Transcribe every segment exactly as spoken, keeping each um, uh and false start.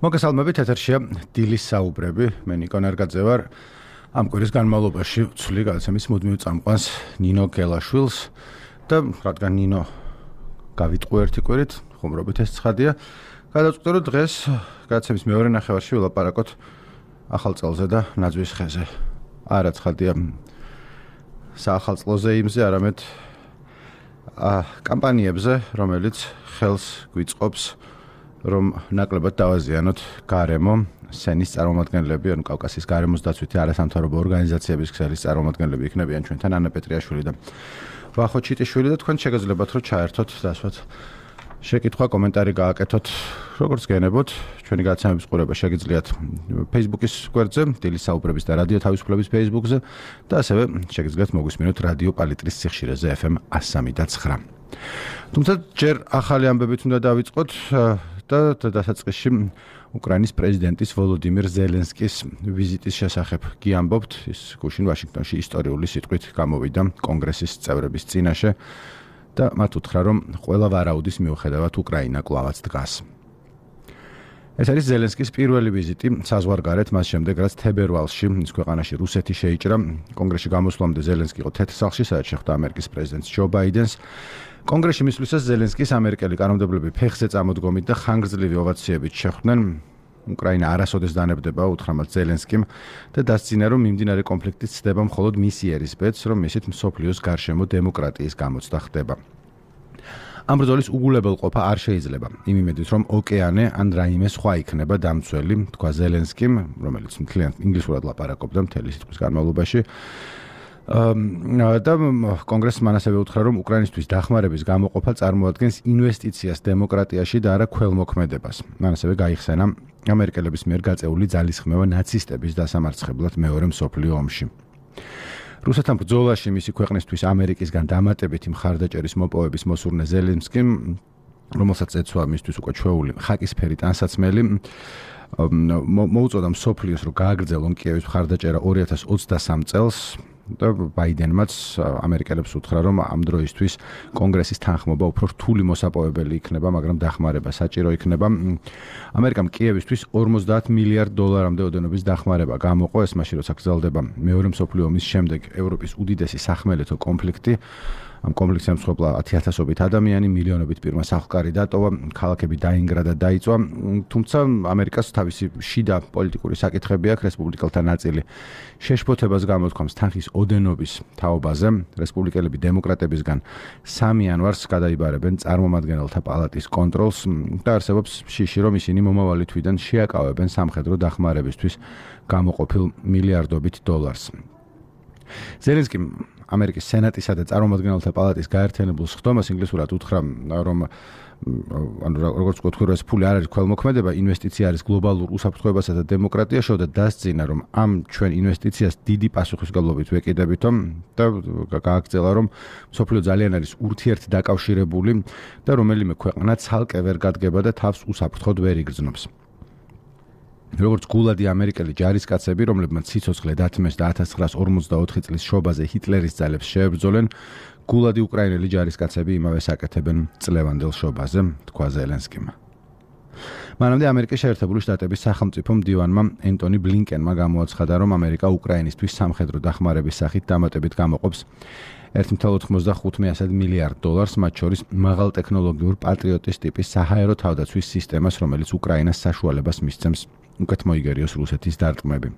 მოგესალმებით, ეთერშია დილის საუბრები. მე ნიკო ნარგაძე ვარ. ამ კვირის განმავლობაში ვცვლი გადაცემის მუდმივ წამყვანს ნინო გელაშვილს და რადგან ნინო გავიტყვი ერთი კვირით, ხუმრობით ეს ცხადია. გადავწყვიტე, რომ დღეს გადაცემის მეორე ნახევარში ვილაპარაკოთ ახალ წელზე და ნაძვის ხეზე. არა ცხადია საახალწლოზე იმზე, არამედ კამპანიებზე, რომელიც ხელს გვიწყობს რომ ნაკლებად დავაზიანოთ გარემო სენის წარმომადგენლები, ანუ კავკასიის გარემოს დაცვითი არასამთავრობო ორგანიზაციების ქსელის წარმომადგენლები იქნებიან ჩვენთან ანა პეტრიაშვილი და ვახო ჩიტიშვილი და თქვენ შეგეძლებათ რომ ჩაერთოთ დასვათ შეკითხვა კომენტარი გააკეთოთ როგორც გენებოთ ჩვენი გადაცემების ყურება შეგიძლიათ Facebook-ის გვერდზე დილის საუბრების და რადიო თავისუფლების Facebook-ზე და ასევე შეგიძლიათ მოგვისმინოთ რადიო პალიტრის სიხშირეზე F M one oh three point nine. თუმცა ჯერ ახალი ამბებით უნდა დავიწყოთ და დასაწყისში უკრაინის პრეზიდენტის ვოლოდიმირ ზელენსკის ვიზიტის შესახებ გიამბობთ. ის გუშინ ვაშინგტონში ისტორიული სიტყვით გამოვიდა კონგრესის წევრების წინაშე და მათ უთხრა, რომ ყველა ვარაუდის მიუხედავად უკრაინა კვლავაც დგას. ეს არის ზელენსკის პირველი ვიზიტი საზღვარგარეთ მას შემდეგ, რაც თებერვალში ის ქვეყანაში რუსეთი შეიჭრა. კონგრესში გამოსვლამდე ზელენსკი იყო თეთრ სახლში, სადაც შეხვდა ამერიკის პრეზიდენტს ჯო ბაიდენს. კონგრესში მისვლისას ზელენსკის ამერიკელი კანონმდებლები ფეხზე წამოდგომით და ხანგრძლივი ოვაციებით შეხვდნენ. უკრაინა არასოდეს დანებდება, უთხრა მათ ზელენსკიმ და დასძინა, რომ მიმდინარე კონფლიქტი ცდება მხოლოდ მისი ერისბედს, რომ ისეთ მსოფლიოს გარშემო დემოკრატიის გამოცდა ხდება. ამ ბრძოლის უგულებელყოფა არ შეიძლება. იმ იმედით, რომ ოკეანე ან რაიმე სხვა იქნება დამცველი, თქვა ზელენსკიმ, რომელიც მთლიანად ინგლისურად ლაპარაკობდა მთელი სიტყვის განმავლობაში. და კონგრესს მან ასევე უთხრა, რომ უკრაინისთვის დახმარების გამოყოფა წარმოადგენს ინვესტიციას დემოკრატიაში და არა ქველმოქმედებას. მან ასევე გაიხსენა ამერიკელების მიერ გაწეული ძალისხმევა ნაცისტების დასამარცხებლად მეორე მსოფლიო ომში. რუსეთთან ბრძოლაში მისი ქვეყნისთვის ამერიკისგან დამატებითი მხარდაჭერის მოპოვების მოსურნე ზელენსკიმ, რომელსაც ეცვა მისთვის უკვე ჩვეული ხაკისფერი ტანსაცმელი, მოუწოდა მსოფლიოს, რომ გააგრძელონ კიევის მხარდაჭერა ორი ათას ოცდასამ წელს. და ბაიდენმაც ამერიკელებს უთხრა, რომ ამ დროისთვის კონგრესის თანხმობა უფრო რთული მოსაპოვებელი იქნება, მაგრამ დახმარება საჭირო იქნება. ამერიკამ კიევისთვის ორმოცდაათ მილიარდ დოლარამდე ოდენობის დახმარება გამოყო, ეს მაშინ როცა გრძელდება მეორე მსოფლიო ომის შემდეგ ევროპის უდიდესი სახმელეთო კონფლიქტი. ამ კონფლიქტს ემსხვერპლა ათასობით ადამიანი, მილიონობით პირმა სახლკარი დატოვა, ქალაქები დაინგრა და დაიწვა. თუმცა ამერიკას თავისი შიდა პოლიტიკური საკითხები აქვს, რესპუბლიკელთა ნაწილი შეშფოთებას გამოთქვამს თანხის ოდენობის თაობაზე. რესპუბლიკელები დემოკრატებისგან სამი იანვარს გადაიბარებენ წარმომადგენელთა პალატის კონტროლს და არსებობს შიში, რომ ისინი მომავალი თვიდან შეაკავებენ სამხედრო დახმარებისთვის გამოყოფილ მილიარდობით დოლარს. ზელენსკიმ ამერიკის სენატისა და წარმომადგენელთა პალატის გაერთიანებულ სხდომას ინგლისურად უთხრა, რომ ანუ როგორც ვთქვი, ეს ფული არ არის ქველმოქმედება, ინვესტიცია არის გლობალურ უსაფრთხოებასა და დემოკრატიაში და დასძინა, რომ ამ ჩვენ ინვესტიციას დიდი პასუხისმგებლობით ვეკიდებითო და გააგრძელა, რომ მსოფლიო ძალიან არის ურთიერთდაკავშირებული და რომელიმე ქვეყანა ცალკე ვერ გადგება და თავს უსაფრთხოდ ვერ იგრძნობს. როგორც გულადი ამერიკელი ჯარისკაცები, რომლებმაც სიცოცხლე დათმეს და ათას ცხრაას ორმოცდაოთხი წლის შობაზე ჰიტლერის ძალებს შეებრძოლენ, გულადი უკრაინელი ჯარისკაცები იმავე საკეთებენ წლევანდელ შობაზე, თქვა ზელენსკიმ. მანამდე ამერიკის შეერთებული შტატების სახელმწიფო მდივანმა ენტონი ბლინკენმა გამოაცხადა, რომ ამერიკა უკრაინისთვის სამხედრო დახმარების სახით დამატებით გამოყოფს ერთ целых ოცდახუთ მილიარდ დოლარს, მათ შორის მაღალტექნოლოგიურ პატრიოტის ტიპის საჰაერო თავდაცვის სისტემას, რომელიც უკრაინას საშუალებას მისცემს უკეთ მოიგერიოს რუსეთის დარტყმები.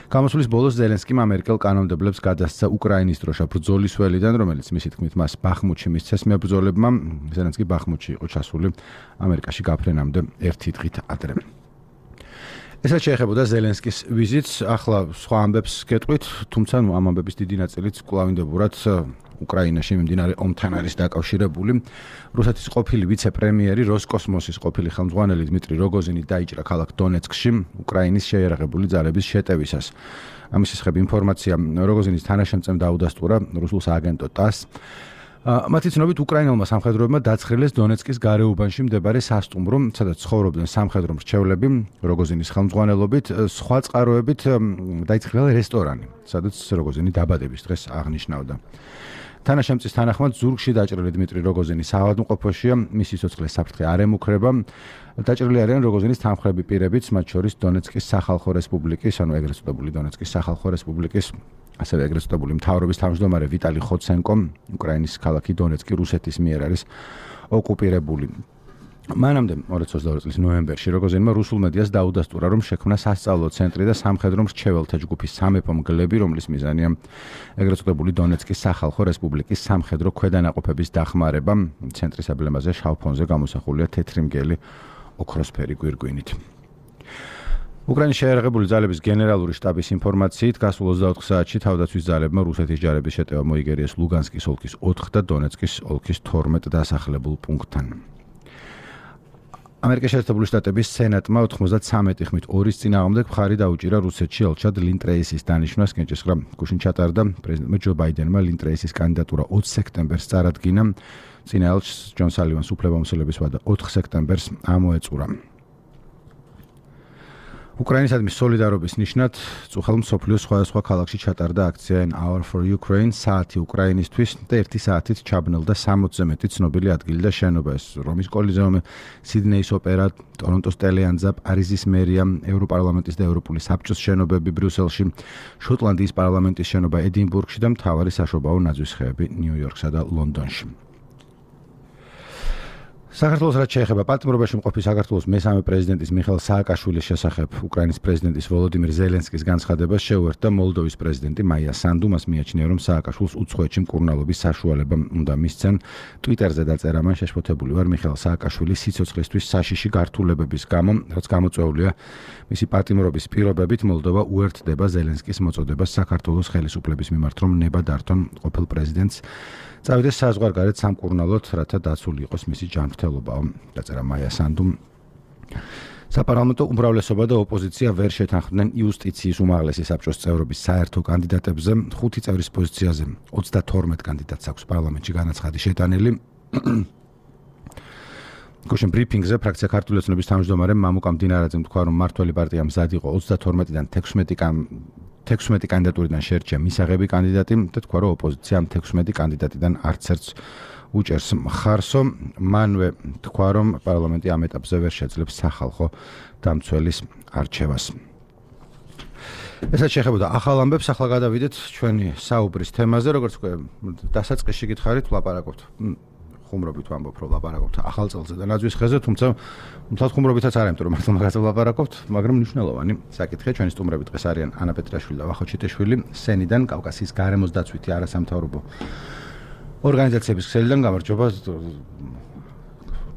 გამოსვლის ბოლოს ზელენსკიმ ამერიკელ კანონმდებლებს გადასცა უკრაინის დროშა ბრძოლის ველიდან, რომელიც მისი თქმით მას ბახმუთში მისცეს მებრძოლებმა. ზელენსკი ბახმუთში იყო ჩასული ამერიკაში გაფრენამდე ერთი დღით ადრე. ესაც შეეხებოდა ზელენსკის ვიზიტს, ახლა სხვა ამბებს გეტყვით, თუმცა ნუ ამ ამბების დიდი ნაწილიც კვლავინდებურად უკრაინაში მიმდინარე ომთან არის დაკავშირებული. რუსეთის ყოფილი ვიცე-პრემიერი, როსკოსმოსის ყოფილი ხელმძღვანელი დმიტრი როგოზინი დაიჭრა ქალაქ დონეცკში უკრაინის შეიარაღებული ძალების შეტევისას. ამის შესახებ ინფორმაცია როგოზინის თანაშემწემ დაუდასტურა რუსულ სააგენტო ტას. მათი ცნობით უკრაინელმა სამხედროებმა დაცხრილეს დონეცკის გარეუბანში მდებარე სასტუმრო, სადაც ცხოვრობდნენ სამხედრო მრჩევლები, როგოზინის ხელმძღვანელობით, სხვა წყაროებით დაიწყრილა რესტორანი, სადაც როგოზინი დაბადების დღეს აღნიშნავდა. თანაშემწის თანახმად ზურგში დაჭრილი დიმიტრი როგოზინი საავადმყოფოშია, მისი სიცოცხლის საფრთხე არ ემუქრება. დაჭრილი არიან როგოზინის თანხმდები პირებიც, მათ შორის დონეცკის სახალხო რესპუბლიკის, ანუ ეგრეთ წოდებული დონეცკის სახალხო რესპუბლიკის, ასევე ეგრეთ წოდებული მთავრობის თავმჯდომარე ვიტალი ხოცენკო, უკრაინის ქალაქი დონეცკი რუსეთის მიერ არის ოკუპირებული. მანამდე ორი ათას ოცდაორი წლის ნოემბერში როგოზინმა რუსულ მედიას დაუდასტურა, რომ შექმნა სასწავლო ცენტრი და სამხედრო მრჩეველთა ჯგუფის სამეფო მგლები, რომლის მიზანია ეგრეთ წოდებული დონეცკის სახალხო რესპუბლიკის სამხედრო ქვედანაყოფების დახმარება. ცენტრის ემბლემაზე შავ ფონზე გამოსახულია თეთრი მგელი ოქროსფერი გვირგვინით. უკრაინის შეიარაღებული ძალების გენერალური შტაბის ინფორმაციით, გასულ ოცდაოთხ საათში თავდაცვის ძალებმა რუსეთის ჯარების შეტევა მოიგერიეს ლუგანსკის ოლქის ოთხ და დონეცკის ოლქის თორმეტ დასახლებულ პუნქტთან. ამერიკის შეერთებული შტატების სენატმა ოთხმოცდათვრამეტი ხმით ორის წინააღმდეგ მხარი დაუჭირა რუსეთში ელჩად ლინ ტრეისის დანიშვნას. კენჭისყრა გუშინ ჩატარდა. პრეზიდენტმა ჯო ბაიდენმა ლინ ტრეისის კანდიდატურა ოცი სექტემბერს წარადგინა. წინა ელჩს ჯონ სალივანს უფლებამოსილების ვადა ოთხ სექტემბერს ამოეწურა. უკრაინისადმი სოლიდარობის ნიშნად წუხელ მსოფლიოს სხვადასხვა ქალაქში ჩატარდა აქცია An Hour for Ukraine, საათი უკრაინისთვის და ერთი საათით ჩაბნელდა სამოცზე მეტი ცნობილი ადგილი და შენობა. ეს რომის კოლიზეუმი, სიდნეის ოპერა, ტორონტოს ტელეანძა, პარიზის მერია, ევროპარლამენტის და ევროპული საბჭოს შენობები ბრიუსელში, შოტლანდიის პარლამენტის შენობა ედინბურგში და მთავარი საშობაო ნაძვისხეები ნიუ-იორკსა და ლონდონში. საქართველოს რაც შეეხება პატიმრობაში მყოფი საქართველოს მესამე პრეზიდენტის მიხეილ სააკაშვილის შესახებ უკრაინის პრეზიდენტის ვოლოდიმირ ზელენსკის განცხადებას შეუერთდა მოლდოვის პრეზიდენტი მაია სანდუ. მას მიაჩნია, რომ სააკაშვილს უცხოეთში მკურნალობის საშუალება უნდა მისცენ. ტვიტერზე დაწერა, მან შეშფოთებული ვარ მიხეილ სააკაშვილის სიცოცხლისთვის საშიში გართულებების გამო, რაც გამოწვეულია მისი პატიმრობის პირობებით. მოლდოვა უერთდება ზელენსკის მოწოდებას საქართველოს ხელისუფლების მიმართ, რომ ნება დართონ ყოფილ პრეზიდენტს წავიდეს საზღვარგარეთ სამკურნალოდ, რათა დაცული იყოს მისი ჯანმრთელობა. დაწერა მაია სანდუმ. საპარლამენტო უმრავლესობა და ოპოზიცია ვერ შეთანხმდნენ იუსტიციის უმაღლესი საბჭოს წევრობის საერთო კანდიდატებზე. ხუთი წევრის პოზიციაზე ოცდათორმეტ კანდიდატს აქვს პარლამენტში განაცხადი შეტანილი. გუშინ ბრიფინგზე ფრაქცია ქართული ოცნების თავმჯდომარე მამუკა მდინარაძემ თქვა, რომ მმართველი პარტია მზად იყო ოცდათორმეტიდან თექვსმეტი კანდიდატურიდან შეერჩია მისაღები კანდიდატი და თქვა, რომ ოპოზიცია ამ თექვსმეტი კანდიდატიდან არც ერთს უჭერს მხარსო. მანვე თქვა, რომ პარლამენტი ამ ეტაპზე ვერ შეძლებს სახალხო დამცველის არჩევას. ესაც შეეხებოდა ახალ ამბებს. ახლა გადავიდეთ ჩვენი საუბრის თემაზე. როგორც თქვი, დასაწყისში გითხარით, ვლაპარაკობთ ხუმრობით ვამბობ, რომ ვლაპარაკობთ ახალ წელზე და ნაძვის ხეზე, თუმცა მთლად ხუმრობითაც არ ამიტომ, მართლა მაგაზე ვლაპარაკობთ, მაგრამ მნიშვნელოვანი საკითხია. ჩვენი სტუმრები დღეს არიან ანა პეტრაშვილი და ვახო ჩიტეშვილი, სენიდან, კავკასიის გარემოს დაცვითი არასამთავრობო ორგანიზაციების ქსელიდან. გამარჯობა.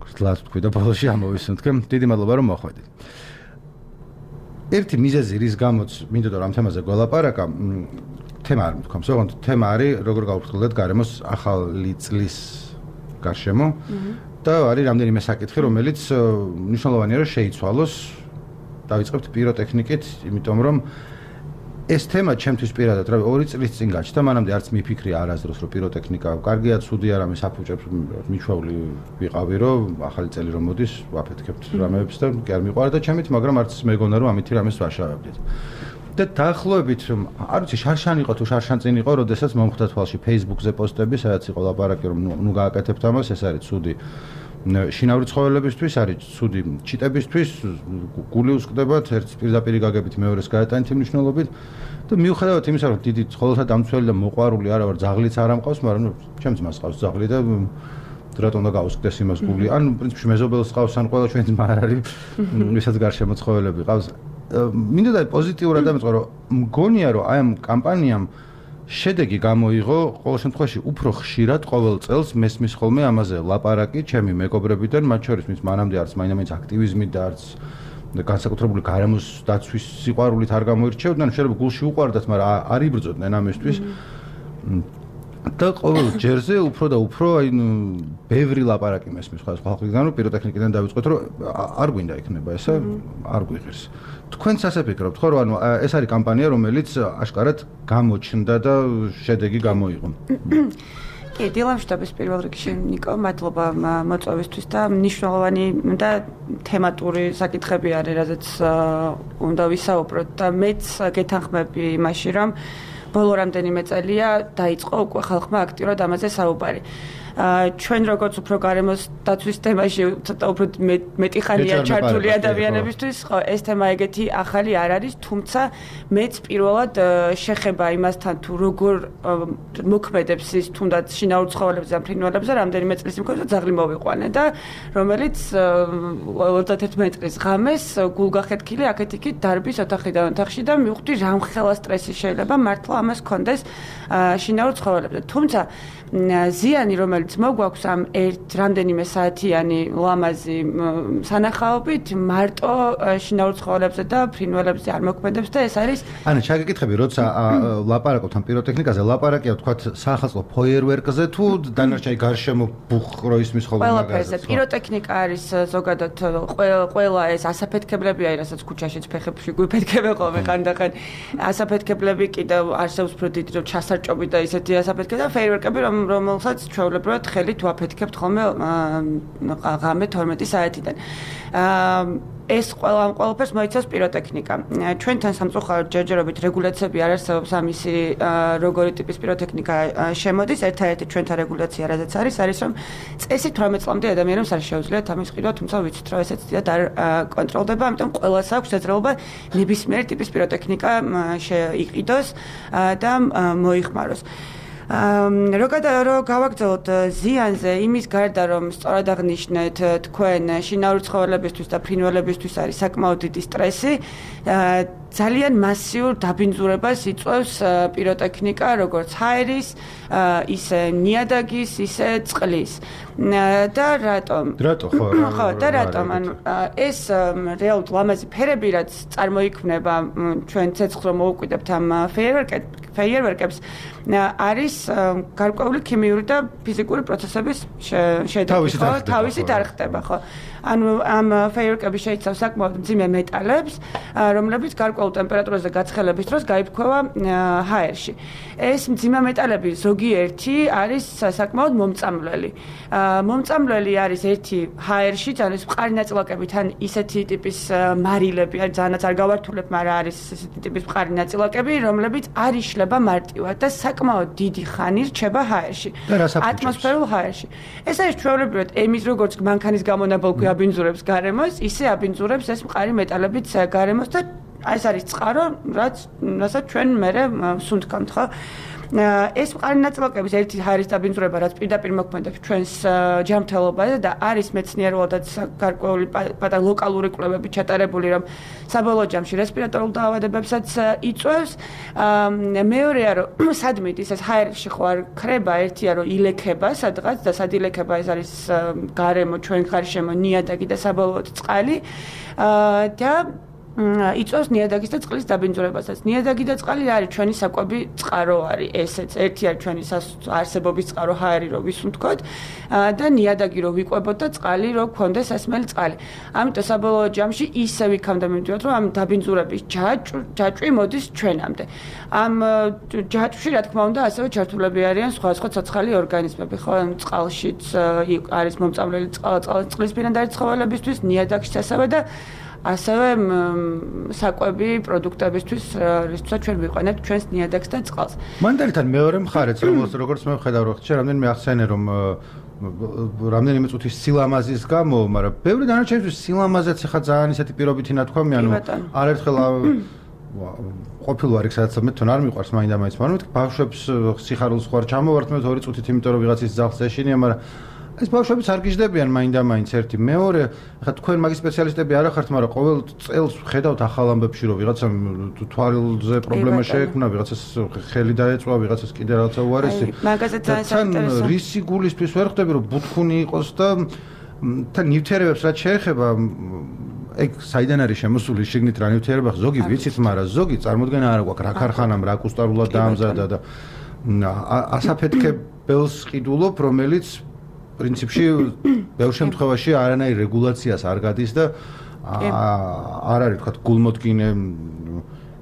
გძლად თქვი და ბოლოში ამოვისუნთქე. დიდი მადლობა, რომ მოხვედით. ერთი მიზეზი, რის გამოც მინდოდა რომ ამ თემაზე გველაპარაკა, თემა არ მithქვამს, ოღონდ თემა არის როგორ გავფრთხილდეთ გარემოს ახალი წლის გარშემო და არის რამდენიმე საკითხი, რომელიც მნიშვნელოვანია რომ შეიცვალოს. დავიწყებთ პიროტექნიკით, იმიტომ რომ ეს თემა ჩემთვის პირადად რა ორი წლის წინ გაჩნდა, მანამდე არც მიფიქრია არასდროს რომ პიროტექნიკა კარგია, ცუდი არა, მე საფუჭებს მიჩვეული ვიყავი, რომ ახალი წელი რომ მოდის, ვაფეთქებთ რამეებს და კი არ მიყვარა და ჩემით, მაგრამ არც მეგონა რომ ამითი რამეს ვაშავებდით. და დაახლოებით, არ ვიცი, შარშან იყო თუ შარშან წინ იყო, როდესაც მომხვდა თვალში Facebook-ზე პოსტები, სადაც იყო ლაპარაკი, რომ ნუ გააკეთებთ ამას, ეს არის ცუდი შინაური ცხოველებისთვის, არის ცუდი ჩიტებისთვის, გული უსკდებათ, ერთს პირდაპირ გაგებით, მეორეს გაეტანით იმ მნიშვნელობით და მიუხედავად იმისა, რომ დიდი ცხოველთა დამცველი და მოყვარული არა ვარ, ძაღლიც არ ამყავს, მაგრამ ჩემს მას ყავს ძაღლი და რატომ უნდა გაუსკდეს იმას გული? ან პრინციპში მეზობელს ყავს, ან ყველა ჩვენი ძმა არ არის, ვისაც გარშემო ცხოველები ყავს. მინდოდა პოზიტიურად დამეწყო, რომ მგონია, რომ აი ამ კამპანიამ შედეგი გამოიღო, ყოველ შემთხვევაში უფრო ხშირად ყოველ წელს მესმის ხოლმე ამაზე ლაპარაკი ჩემი მეგობრებიდან, მათ შორის მის მანამდე არც მაინამაინც აქტივიზმით და არც განსაკუთრებული გარემოს დაცვის სიყვარულით არ გამოირჩევდნენ, შეიძლება გულში უყვარდათ, მაგრამ არ იბრძოდნენ ამისთვის. და ყოველ ჯერზე უფრო და უფრო აი ბევრი ლაპარაკი მესმის სხვადასხვა ხალხიდან, რომ პიროტექნიკიდან დავიწყოთ, რომ არ გვინდა იქნება ესა, არ გვიღირს. თქვენც ასე ფიქრობთ, ხო, რომ ანუ ეს არის კამპანია, რომელიც აშკარად გამოჩნდა და შედეგი გამოიღო. კი, დილამშვიდობის პირველ რიგში, ნიკო, მადლობა მოწვევისთვის და მნიშვნელოვანი და თემატური საკითხები არის, რაზეც უნდა ვისაუბროთ და მეც გეთანხმები იმაში, რომ ბოლო რამდენიმე წელია დაიწყო უკვე ხალხმა აქტიურად ამაზე საუბარი. ჩვენ როგორც უფრო გარემოს დაცვის თემაში ცოტა უფრო მეტი ხანია ჩართული ადამიანებისთვის, ხო, ეს თემა ეგეთი ახალი არ არის, თუმცა მეც პირველად შეხება იმასთან თუ როგორ მოქმედებს ის თუნდაც შინაურ ცხოველებზე და ფრინველებზე რამდენიმე წლის მქონდა ძაღლი მოვიყვანე და რომელიც ოცდაერთი წლის ღამეს გულგახეთქილი აქეთ იქით დარბის ოთახიდან ოთახში და მივხვდი რამხელა სტრესი შეიძლება მართლა ამას კონდეს შინაურ ცხოველებზე. თუმცა ზიანი რომელიც მოგვაქვს ამ ერთ რამდენიმე საათიანი ლამაზი სანახაობით მარტო შინაურ ცხოველებზე და ფრინველებზე არ მოქმედებს და ეს არის ანა ჩაგეკითხები როცა ლაპარაკობთ ამ პიროტექნიკაზე ლაპარაკია თქვათ სახალხო ფოიერვერკზე თუ დანარჩენი გარშემო ბუხრო ისმის ხოლმე მაგაზე პიროტექნიკა არის ზოგადად ყველა ეს ასაფეთქებლებია რასაც ქუჩაშიც ფეხებში გვიფეთქებენ ხოლმე ხანდახან ასაფეთქებლები კიდევ არსებობს უფრო დიდი რომ ჩასარჭობი და ისეთი ასაფეთქება და ფეიერვერკები რომ რომელსაც ჩვეულებრივად ხელით ვაფეთქებთ ხოლმე ღამე თორმეტი საათიდან. ეს ყველა ამ ყველაფერს მოიცავს პიროტექნიკა. ჩვენთან სამწუხაროდ ჯერჯერობით რეგულაციები არ არსებობს ამისი როგორი ტიპის პიროტექნიკა შემოდის. ერთადერთი ჩვენთან რეგულაცია რადგან არის არის რომ წესით თვრამეტ წლამდე ადამიანებს არ შეუძლიათ ამის ყიდვა, თუმცა ვიცით რომ ესეც დიდად არ კონტროლდება, ამიტომ ყველას აქვს შეძრეობა ნებისმიერი ტიპის პიროტექნიკა შეიყიდოს და მოიხმაროს. რო გავაგრძელოთ ზიანზე იმის გარდა რომ სწორად აღნიშნეთ თქვენ შინაური ცხოველებისთვის და ფრინველებისთვის არის საკმაოდ დიდი სტრესი ძალიან მასიურ დაბინძურებას იწვევს პიროტექნიკა როგორც ჰაერის ისე ნიადაგის ისე წყლის და რატომ რატო ხო ხო და რატომ ანუ ეს რეალურად ლამაზი ფერები რაც წარმოიქმნება ჩვენ ცეცხლს რომ მოუკვიდებთ ამ ფეიერვერკებს არის გარკვეული ქიმიური და ფიზიკური პროცესების შედეგი ხო თავისით არ ხდება ხო ანუ ამ ფეიერვერკები შეიცავს საკმაოდ მძიმე მეტალებს რომლებიც გარკვეულ ტემპერატურაზე გაცხელების დროს გაიფრქვევა ჰაერში ეს მძიმე მეტალები ზოგიერთი არის საკმაოდ მომწამლელი მომწამლელი არის ერთი ჰაერში ძალიან მყარი ნაწილაკები თან ისეთი ტიპის მარილები არის ძალიანაც არ გავართულებ მაგრამ არის ესეთი ტიპის მყარი ნაწილაკები რომლებიც არ იშლება მარტივად და საკმაოდ დიდი ხანი რჩება ჰაერში ატმოსფერულ ჰაერში ეს არის ჩვეულებრივად ემის როგორც მანქანის გამონაბოლქვი აბინძურებს გარემოს ისე აბინძურებს ეს მყარი მეტალებიც გარემოს და ეს არის წყარო რაც რასაც ჩვენ მერე სუნთქავთ ხო ეს მყარი ნაწილაკების ერთი ჰაერის დაბინძურება რაც პირდაპირ მოქმედებს ჩვენს ჯანმრთელობაზე და არის მეცნიერულადაც გარკვეული პატარა ლოკალური კვლევები ჩატარებული რომ საბოლოო ჯამში რესპირატორულ დაავადებებსაც იწვევს მეორეა რომ სადმით ის ჰაერში ხო არ ქრება ერთია რომ ილექება სადღაც და სად ილექება ეს არის გარემო ჩვენ გარშემო ნიადაგი და საბოლოოდ წყალი და იწვევს ნიადაგის და წყლის დაბინძურებასაც. ნიადაგი და წყალი არის ჩვენი საკვები წყარო არის ესეც. ერთი არის ჩვენი არსებობის წყარო ჰაერი რო ვისუნთქოთ და ნიადაგი რო ვიყვებოთ და წყალი რო გქონდეს ესმელი წყალი. ამიტომ საბოლოო ჯამში ისე ვიქამდე მივიდივართ რომ ამ დაბინძურების ჯაჭვი მოდის ჩვენამდე. ამ ჯაჭვში რა თქმა უნდა ასევე ჩართულები არიან სხვა სხვა ცოცხალი ორგანიზმები, ხო, წყალშიც არის მომწამლელი წყლისფრინდარი ცხოველებისთვის, ნიადაგშიც ასევე და ასევე საკვები პროდუქტებისთვის რისთვისაც ჩვენ ვიყენებთ ჩვენს ნიადაგს და წყალს. მანდარიდან მეორე მხარეც რომელს როგორც მე ვხედავ რომ ხშირ რამდენიმე ახსენე რომ რამდენიმე წუთის სილამაზის გამო, მაგრამ ბევრი დანარჩენისთვის სილამაზეც ხა ძალიან ისეთი პირობითი ნათქვამი, ანუ არერთხელ ყოფილ ვარ იქ სადაც მე თან არ მიყვარს მაინდა მაინც, მაგრამ ბავშვებს სიხარულს ხوار ჩამოვართმევთ ორი წუთით, იმიტომ რომ ვიღაცის ძაღლს ეშინია, მაგრამ ეს ბავშვებიც არ გიждდებიან მაინდა მაინც ერთი მეორე ხა თქვენ მაგის სპეციალისტები არ ახართ მაგრამ ყოველ წელს ხედავთ ახალ ამბებში რომ ვიღაცამ თვალზე პრობლემა შეექმნა ვიღაცას ხელი დაეწვა ვიღაცას კიდე რაღაცა უარესი მაგაზე ძალიან საინტერესო რისი გულისთვის ვერ ხვდები რომ ბუთქუნი იყოს და თან ნივთიერებებს რაც შეეხება ეგ საიდან არის შემოსული შიგნით რა ნივთიერება ზოგი ვიცით მაგრამ ზოგი წარმოდგენა არ აქვს რა ქარხანამ რა კუსტარულად დაამზადა და ასაფეთქებელს ყიდულობ რომელიც პრინციპში ბევრ შემთხვევაში არანაირ რეგულაციას არ გადის და არ არის თქვა გულმოდგინე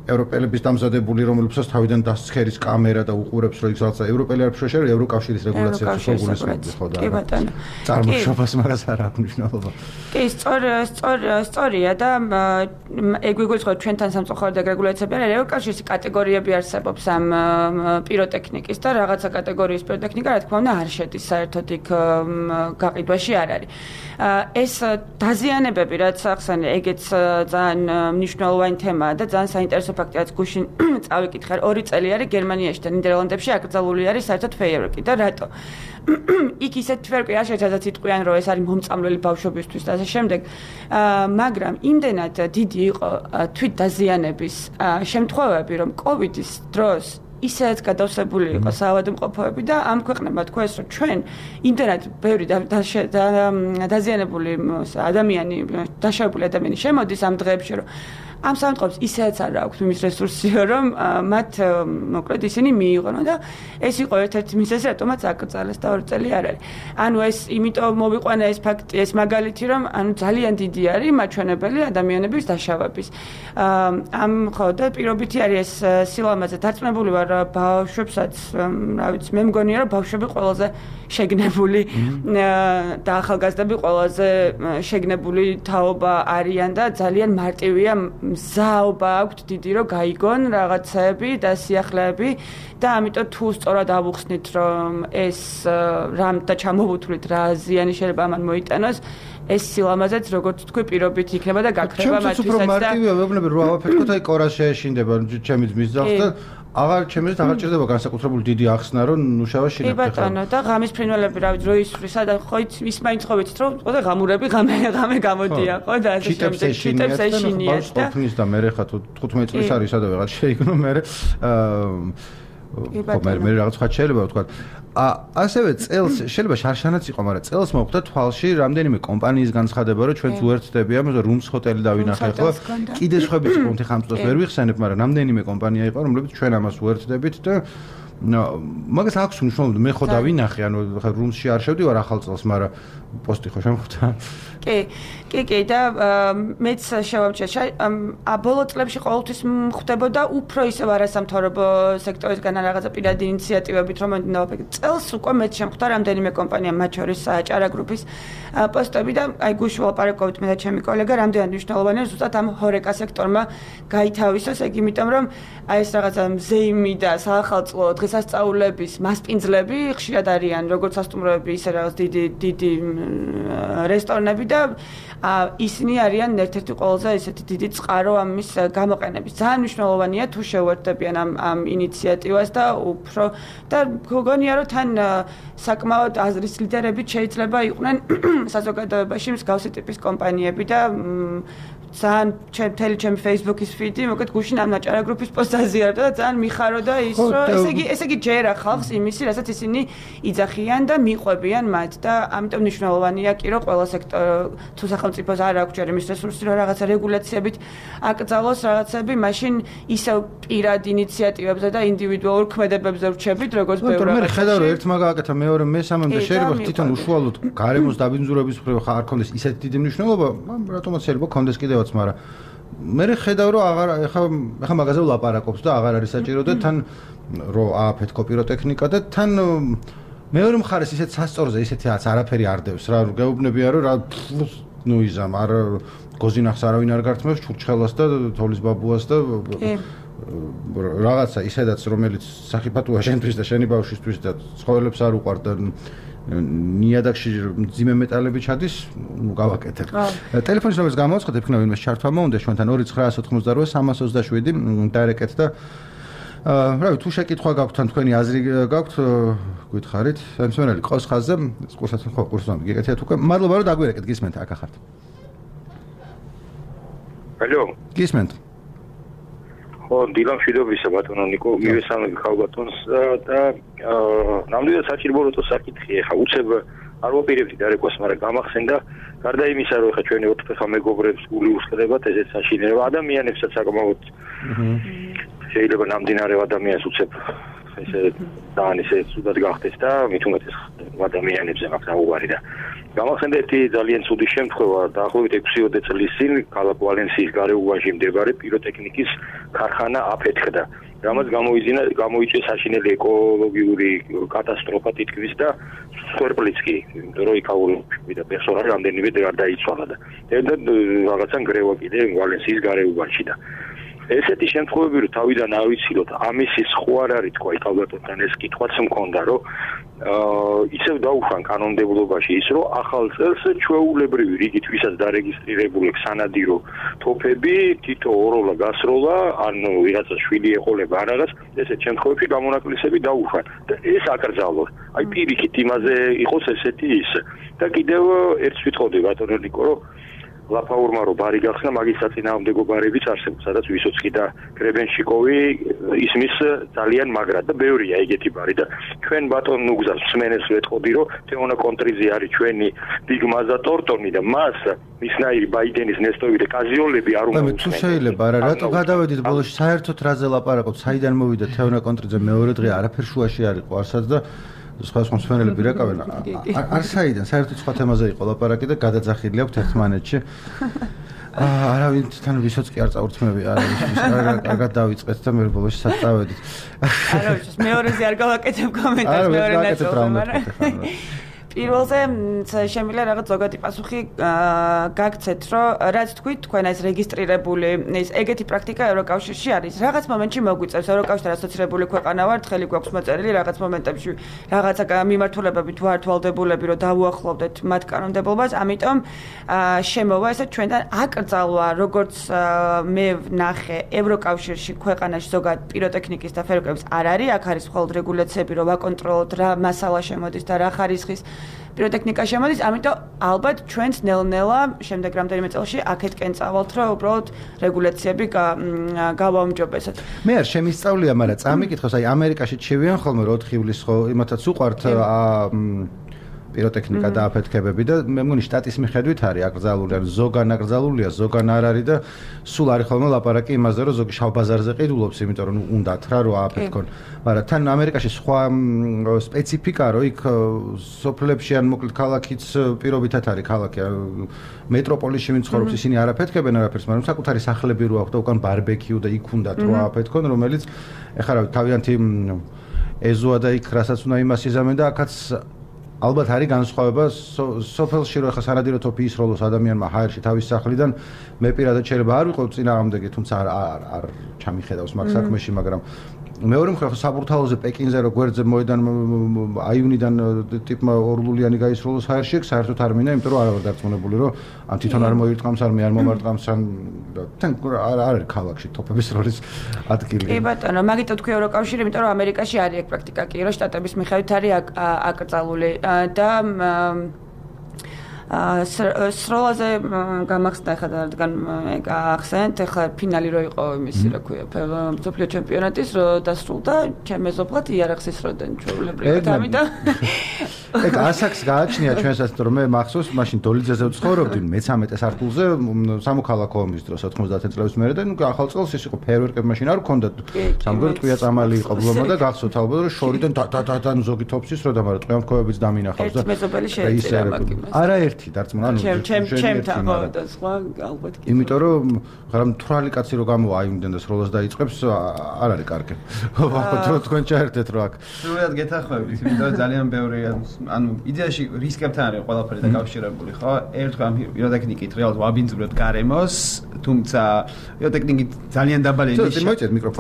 ევროპელების დამზადებული, რომლებსაც თავიდან დასცქერის კამერა და უყურებს, რომ იქ ევროპელი არ შეშერე, ევროკავშირის რეგულაციებს შეგულისხმობდი ხო და წარმოშობას მაგას არ აქვს მნიშვნელობა. კი, სწორ სწორ სწორია და ეგ ვიგვიწყოთ ჩვენთან სამწუხაროდ ეგ რეგულაციები არის, ევროკავშირის კატეგორიები არსებობს ამ პიროტექნიკის და რაღაცა კატეგორიის პიროტექნიკა, რა თქმა უნდა, არ შედის საერთოდ იქ გაყიდვაში არ არის. ეს დაზიანებები, რაც ახსენე, ეგეც ძალიან მნიშვნელოვანი თემაა და ძალიან საინტერესო ფაქტია, რაც გუშინ წავიკითხე, ორი წელი არის გერმანიაში და ნიდერლანდებში აკრძალული არის საერთოდ ფეიერვერკი და რატო? იქ ისეთ ფეიერვერკი არ შეიძლება იტყვიან, რომ ეს არის მომწამლელი ბავშვებისთვის და ასე შემდეგ, მაგრამ იმდენად დიდი იყო თვით დაზიანების შემთხვევები, რომ კოვიდის დროს ისეც გადავსებული იყო საავადმყოფოები და ამ ქვეყნებმა თქვეს, რომ ჩვენ იმდენად ბევრი დაზიანებული ადამიანი, დაშავებული ადამიანი შემოდის ამ დღეებში, რომ ამ სამწყობს ისეც არ აქვს იმის რესურსიო, რომ მათ მოკლედ ისინი მიიღონო და ეს იყო ერთ-ერთი მიზეზი, რატომაც აკრძალეს და ორი წელი არ არის. ანუ ეს იმიტომ მოვიყვანა ეს ფაქტი, ეს მაგალითი, რომ ანუ ძალიან დიდი არის მაჩვენებელი ადამიანების დაშავების. ამ ხო და პირობითი არის ეს სილამაზე დარწმუნებული ვარ ბავშვებსაც, რა ვიცი, მე მგონია, რომ ბავშვები ყველაზე შეგნებული და ახალგაზრდები ყველაზე შეგნებული თაობა არიან და ძალიან მარტივია მზაობა აქვთ დიდი რომ გაიგონ რაღაცები და სიახლეები და ამიტომ თუ სწორად ავუხსნით რომ ეს რამ და ჩამოვუთვლით რა ზიანი შეიძლება ამან მოიტანოს ეს სილამაზეც როგორც თქვი პირობით იქნება და გაქრება მათთვისაც და მარტივია ვეუბნები რომ ავაფეთქოთ აი კორას შეეშინდება ჩემი ძმის ძაღლს და აღარ ჩემს აღარ ჭირდება განსაკუთრებული დიდი ახსნა რომ ნუშავა შინაგდება. კი ბატონო და ღამის ფრინველები რა ვიცი რო ისვრის და ხო ის მაინც ხო ვიცით რომ ხო და ღამურები ღამე ღამე გამოდია ხო და ასე შემდეგ ჩიტებს ეშინიათ და ყოფნის და მე ხა თუ თხუთმეტ წლის არის სადა ვიღაც შეიგნო მე აა მე მე რაღაც ხა შეიძლება ვთქვა ა ასევე წელს შეიძლება შარშანაც იყო მაგრამ წელს მოხდა თვალში რამდენიმე კომპანიის განცხადება რომ ჩვენც უერთდებია რუმს ჰოტელი დავინახე ხო კიდე სხვაებიც კონტი ხამწოს ვერ ვიხსენებ მაგრამ რამდენიმე კომპანია იყო რომლებიც ჩვენ ამას უერთდებით და მაგას აქვს მნიშვნელობა მე ხო დავინახე ანუ ხა რუმსში არ შევდი ვარ ახალ წელს მაგრამ პოსტი ხო შემოხვდა კი კი კი და მეც შევამჩნიე ბოლო წლებში ყოველთვის ხდებოდა უფრო ისევ არასამთავრობო სექტორისგან რაღაცა პირადი ინიციატივებით რომ მომდინავებდა წელს უკვე მეც შემხვდა რამდენიმე კომპანია მათ შორის ჭარა გრუპის პოსტები და აი გუშინ ვლაპარაკობთ მე და ჩემი კოლეგა რამდენად მნიშვნელოვანია ზუსტად ამ ჰორეკა სექტორმა გაითავისოს ეგ იმიტომ რომ აი ეს რაღაცა მზეიმი და საახალწლო დღესასწაულების მასპინძლები ხშირად არიან როგორც სასტუმროები ისე რაღაც დიდი დიდი რესტორნები და ისინი არიან ერთ-ერთი ყველაზე ესეთი დიდი წყარო ამის გამოყენების. ძალიან მნიშვნელოვანია თუ შევერთდებიან ამ ამ ინიციატივას და უფრო და გონია რომ თან საკმაოდ აზრის ლიდერებით შეიძლება იყვნენ საზოგადოებაში მსგავსი ტიპის კომპანიები და ძალიან ჩემთელი ჩემი Facebook-ის ფიდი, მოკეთ გუშინ ამ ნაჭარა გრუპის პოსტს აზიარდა და ძალიან მიხაროდა ის, რომ ესე იგი ესე იგი ჯერა ხალხს იმისი, რასაც ისინი იძახიან და მიყვებიან მათ და ამიტომ მნიშვნელოვანია კი რომ ყველა სექტორი თუ სახელმწიფოს არ აქვს ჯერ იმის რესურსი, რომ რაღაცა რეგულაციებით აკრძალოს რაღაცები, მაშინ ისევ პირად ინიციატივებზე და ინდივიდუალურ ქმედებებზე რჩებით, როგორც ბევრი რაღაცა. მე ხედავ რომ ერთ მაგა აკეთა, მეორე მესამე და შეიძლება თვითონ უშუალოდ გარემოს დაბინძურების მხრივ ხარ ქონდეს ისეთი დიდი მნიშვნელობა, რატომაც შეიძლება ქონდეს კიდევ მაგრამ მე ხედავ რომ აღარ ეხა ეხა მაგაზე ვლაპარაკობს და აღარ არის საჭირო და თან რომ ააფეთქო პიროტექნიკა და თან მეორე მხარეს ისეთ სასწორზე ისეთი რაც არაფერი არ დევს რა გეუბნებია რომ რა ნუ იზამ არ გოზინახს არავინ არ გართმევს ჩურჩხელას და თოვლის ბაბუას და რაღაცა ისედაც რომელიც სახიფათოა შენთვის და შენი ბავშვისთვის და ცხოველებს არ უყვართ და ნიადაგში ძიმე მეტალები ჩადის, ნუ გავაკეთებ. ტელეფონის ნომერს გამოვაცხადებ, იქნება ვინმე ჩართვა მოუნდა ჩვენთან ორი ცხრაას ოთხმოცდაოთხი სამას ოცდაშვიდი დაერეკეთ და რა ვიცი, თუ შეკითხვა გაქვთ ან თქვენი აზრი გაქვთ, გითხარით. სამსვენელი ყოს ხაზზე, ყურსაც ხო ყურს ვამბი, გეკეთეთ უკვე. მადლობა რომ დაგვერეკეთ, გისმენთ, აქ ახართ. ალო. გისმენთ. ხო, დილამ მშვიდობისა ბატონო ნიკო, მივესალმები ხალბატონს და ნამდვილად საჭირო როტო საკითხი ეხა უცებ არ ვაპირებდი დარეკვას, მაგრამ გამახსენდა გარდა იმისა, რომ ეხა ჩვენი ოთხფეხა მეგობრებს გული უსხდებათ, ესეც საშინელება ადამიანებსაც საკმაოდ შეიძლება ნამდვილად ადამიანს უცებ ესე ძალიან ისე ცუდად გახდეს და მით უმეტეს ადამიანებზე აქვს აუვარი და გამახსენდა ერთი ძალიან ცუდი შემთხვევა დაახლოებით ექვსი წლის წინ ქალაქ ვალენსიის გარეუბანში მდებარე პიროტექნიკის ქარხანა აფეთქდა რამაც გამოიძინა გამოიწვია საშინელი ეკოლოგიური კატასტროფა თითქმის და სვერპლიც კი იმიტომ რომ იქაური და პერსონალი რამდენიმე გარდაიცვალა და რაღაცა ნგრევა კიდე ვალენსიის გარეუბანში და ესეთი შემთხვევები რომ თავიდან არ ვიცილოთ ამისის ხო არ არის თქვა იქ ალბათთან ეს კითხვაც მქონდა რომ ისევ დაუშვან კანონმდებლობაში ის რომ ახალ წელს ჩვეულებრივი რიგით ვისაც დარეგისტრირებული სანადირო თოფები თითო ოროლა გასროლა ანუ ვიღაცა შვილი ეყოლება არ არის ესეთ შემთხვევებში გამონაკლისები დაუშვან და ეს აკრძალოს აი პირიქით იმაზე იყოს ესეთი ის და კიდევ ერთს ვიტყოდი ბატონო ნიკო რომ ლაფაურმა რო ბარი გახსნა მაგის საწინააღმდეგო ბარებიც არსებობს სადაც ვისოცკი და გრებენშიკოვი ისმის ძალიან მაგრა და ბევრია ეგეთი ბარი და ჩვენ ბატონ ნუგზას მსმენელს ვეთყოდი რომ თეონა კონტრიძე არის ჩვენი ბიგმაზა ტორტონი და მას მისნაირი ბაიდენის ნესტოვი და კაზიოლები არ უნდა თუ შეიძლება არა რატო გადავედით ბოლოში საერთოდ რაზე ლაპარაკობთ საიდან მოვიდა თეონა კონტრიძე მეორე დღე არაფერ შუაში არ იყო არსაც და სხვა სხვა მსმენელები რაკავენ არ საიდან საერთოდ სხვა თემაზე იყო ლაპარაკი და გადაძახილი აქვს ერთმანეთში არავინ თან ვისოცკი არ წავრთმევი არავის კარგად დავიწყეთ და მე ბოლოში საწავედით არა ვიცი მეორეზე არ გავაკეთებ კომენტარს მეორე ნაწილზე პირველზე შემიძლია რაღაც ზოგადი პასუხი გაგცეთ, რომ რაც თქვით, თქვენ ეს რეგისტრირებული ეს ეგეთი პრაქტიკა ევროკავშირში არის. რაღაც მომენტში მოგვიწევს ევროკავშირთან ასოცირებული ქვეყანა ვართ, ხელი გვაქვს მოწერილი რაღაც მომენტებში, რაღაცა მიმართულებები თუ არ თვალდებულები, რომ დავუახლოვდეთ მათ კანონმდებლობას, ამიტომ შემოვა ესე ჩვენთან აკრძალვა, როგორც მე ვნახე ევროკავშირში ქვეყანაში ზოგად პიროტექნიკის და ფერმერების არ არის, აქ არის მხოლოდ რეგულაციები, რომ ვაკონტროლოთ რა მასალა შემოდის და რა ხარისხის პიროტექნიკა შემოდის, ამიტომ ალბათ ჩვენც ნელ-ნელა შემდეგ რამდენიმე წელში აქეთკენ წავალთ, რომ უბრალოდ რეგულაციები გავაუმჯობესოთ. მე არ შემისწავლია, მაგრამ წამიკითხოს, აი ამერიკაში ჩევიან ხოლმე რომ ოთხი ივლისს ხო იმათაც უყვართ პიროტექნიკა და აფეთქებები და მე მგონი შტატის მიხედვით არის აკრძალული, ან ზოგან აკრძალულია, ზოგან არ არის და სულ არის ხოლმე ლაპარაკი იმაზე, რომ ზოგი შავ ბაზარზე ყიდულობს, იმიტომ რომ უნდათ რა რო აფეთქონ. მაგრამ თან ამერიკაში სხვა სპეციფიკა რო იქ სოფლებში ან მოკლედ ქალაქიც პირობითად არის ქალაქი მეტროპოლისში ვინც ცხოვრობს ისინი არ აფეთქებენ არაფერს, მაგრამ საკუთარი სახლები რო აქვს და უკან ბარბეკიუ და იქ უნდათ რო აფეთქონ, რომელიც ეხლა რა თავიანთი ეზოა და იქ რასაც უნდა იმას იზამენ და აქაც ალბათ არის განსხვავება სოფელში რო ხა სანადირო თოფი ისროლოს ადამიანმა ჰაერში თავის სახლიდან მე პირადად შეიძლება არ ვიყო წინააღმდეგი თუმცა არ არ ჩამიხედავს მაგ საქმეში მაგრამ მეორე მხრივ საბურთალოზე პეკინზე რო გვერდზე მოედან აივნიდან ტიპმა ორლულიანი გაისროლოს ჰაერში საერთოდ არ მინდა იმიტომ რომ არ ვარ დარწმუნებული რომ ან თვითონ არ მოირტყამს არ მე არ მომარტყამს ან თან არ არის ქალაქში თოფების როლის ადგილი კი ბატონო მაგიტო თქვი ევროკავშირი იმიტომ რომ ამერიკაში არის ეგ პრაქტიკა კი რომ შტატების მიხედვით არის აკრძალული და სროლაზე გამახსნა ხა რადგან ეგ ახსენეთ ხა ფინალი რო იყო იმისი რა ქვია მსოფლიო ჩემპიონატის რო დასრულდა ჩემ მეზობლად იარაღის როდენ ჩვეულებრივად ამიტომ ეგ ასაკს გააჩნია ჩვენსაც რომ მე მახსოვს მაშინ დოლიძეზე ვცხოვრობდი მეთერთმეტე სართულზე სამოქალაქო ომის დროს ოთხმოცდაათი წლების მერე და ნუ ახალ წელს ის იყო ფეერვერკები მაშინ არ ჰქონდა სამგვარი ტყვია წამალი იყო ბლომა და გახსოვთ ალბათ რომ შორიდან და ზოგი თოფსის რო და მაგრამ ტყვიამქოებიც დამინახავს და მეზობელი შეეწირა მაგ არა ერთი დარწმუნა ანუ ჩემ ჩემთან ხო და სხვა ალბათ კი იმიტომ რომ მაგრამ თვრალი კაცი რო გამოვა აიმდენ და სროლას დაიწყებს არ არის კარგი ხო თქვენ ჩაერთეთ რო აქ სრულად გეთახმებით იმიტომ ძალიან ბევრი ანუ იდეაში რისკებთან არის ყველაფერი დაკავშირებული ხო ერთხელ პიროტექნიკით რეალურად ვაბინძურებთ გარემოს თუმცა პიროტექნიკით ძალიან დაბალი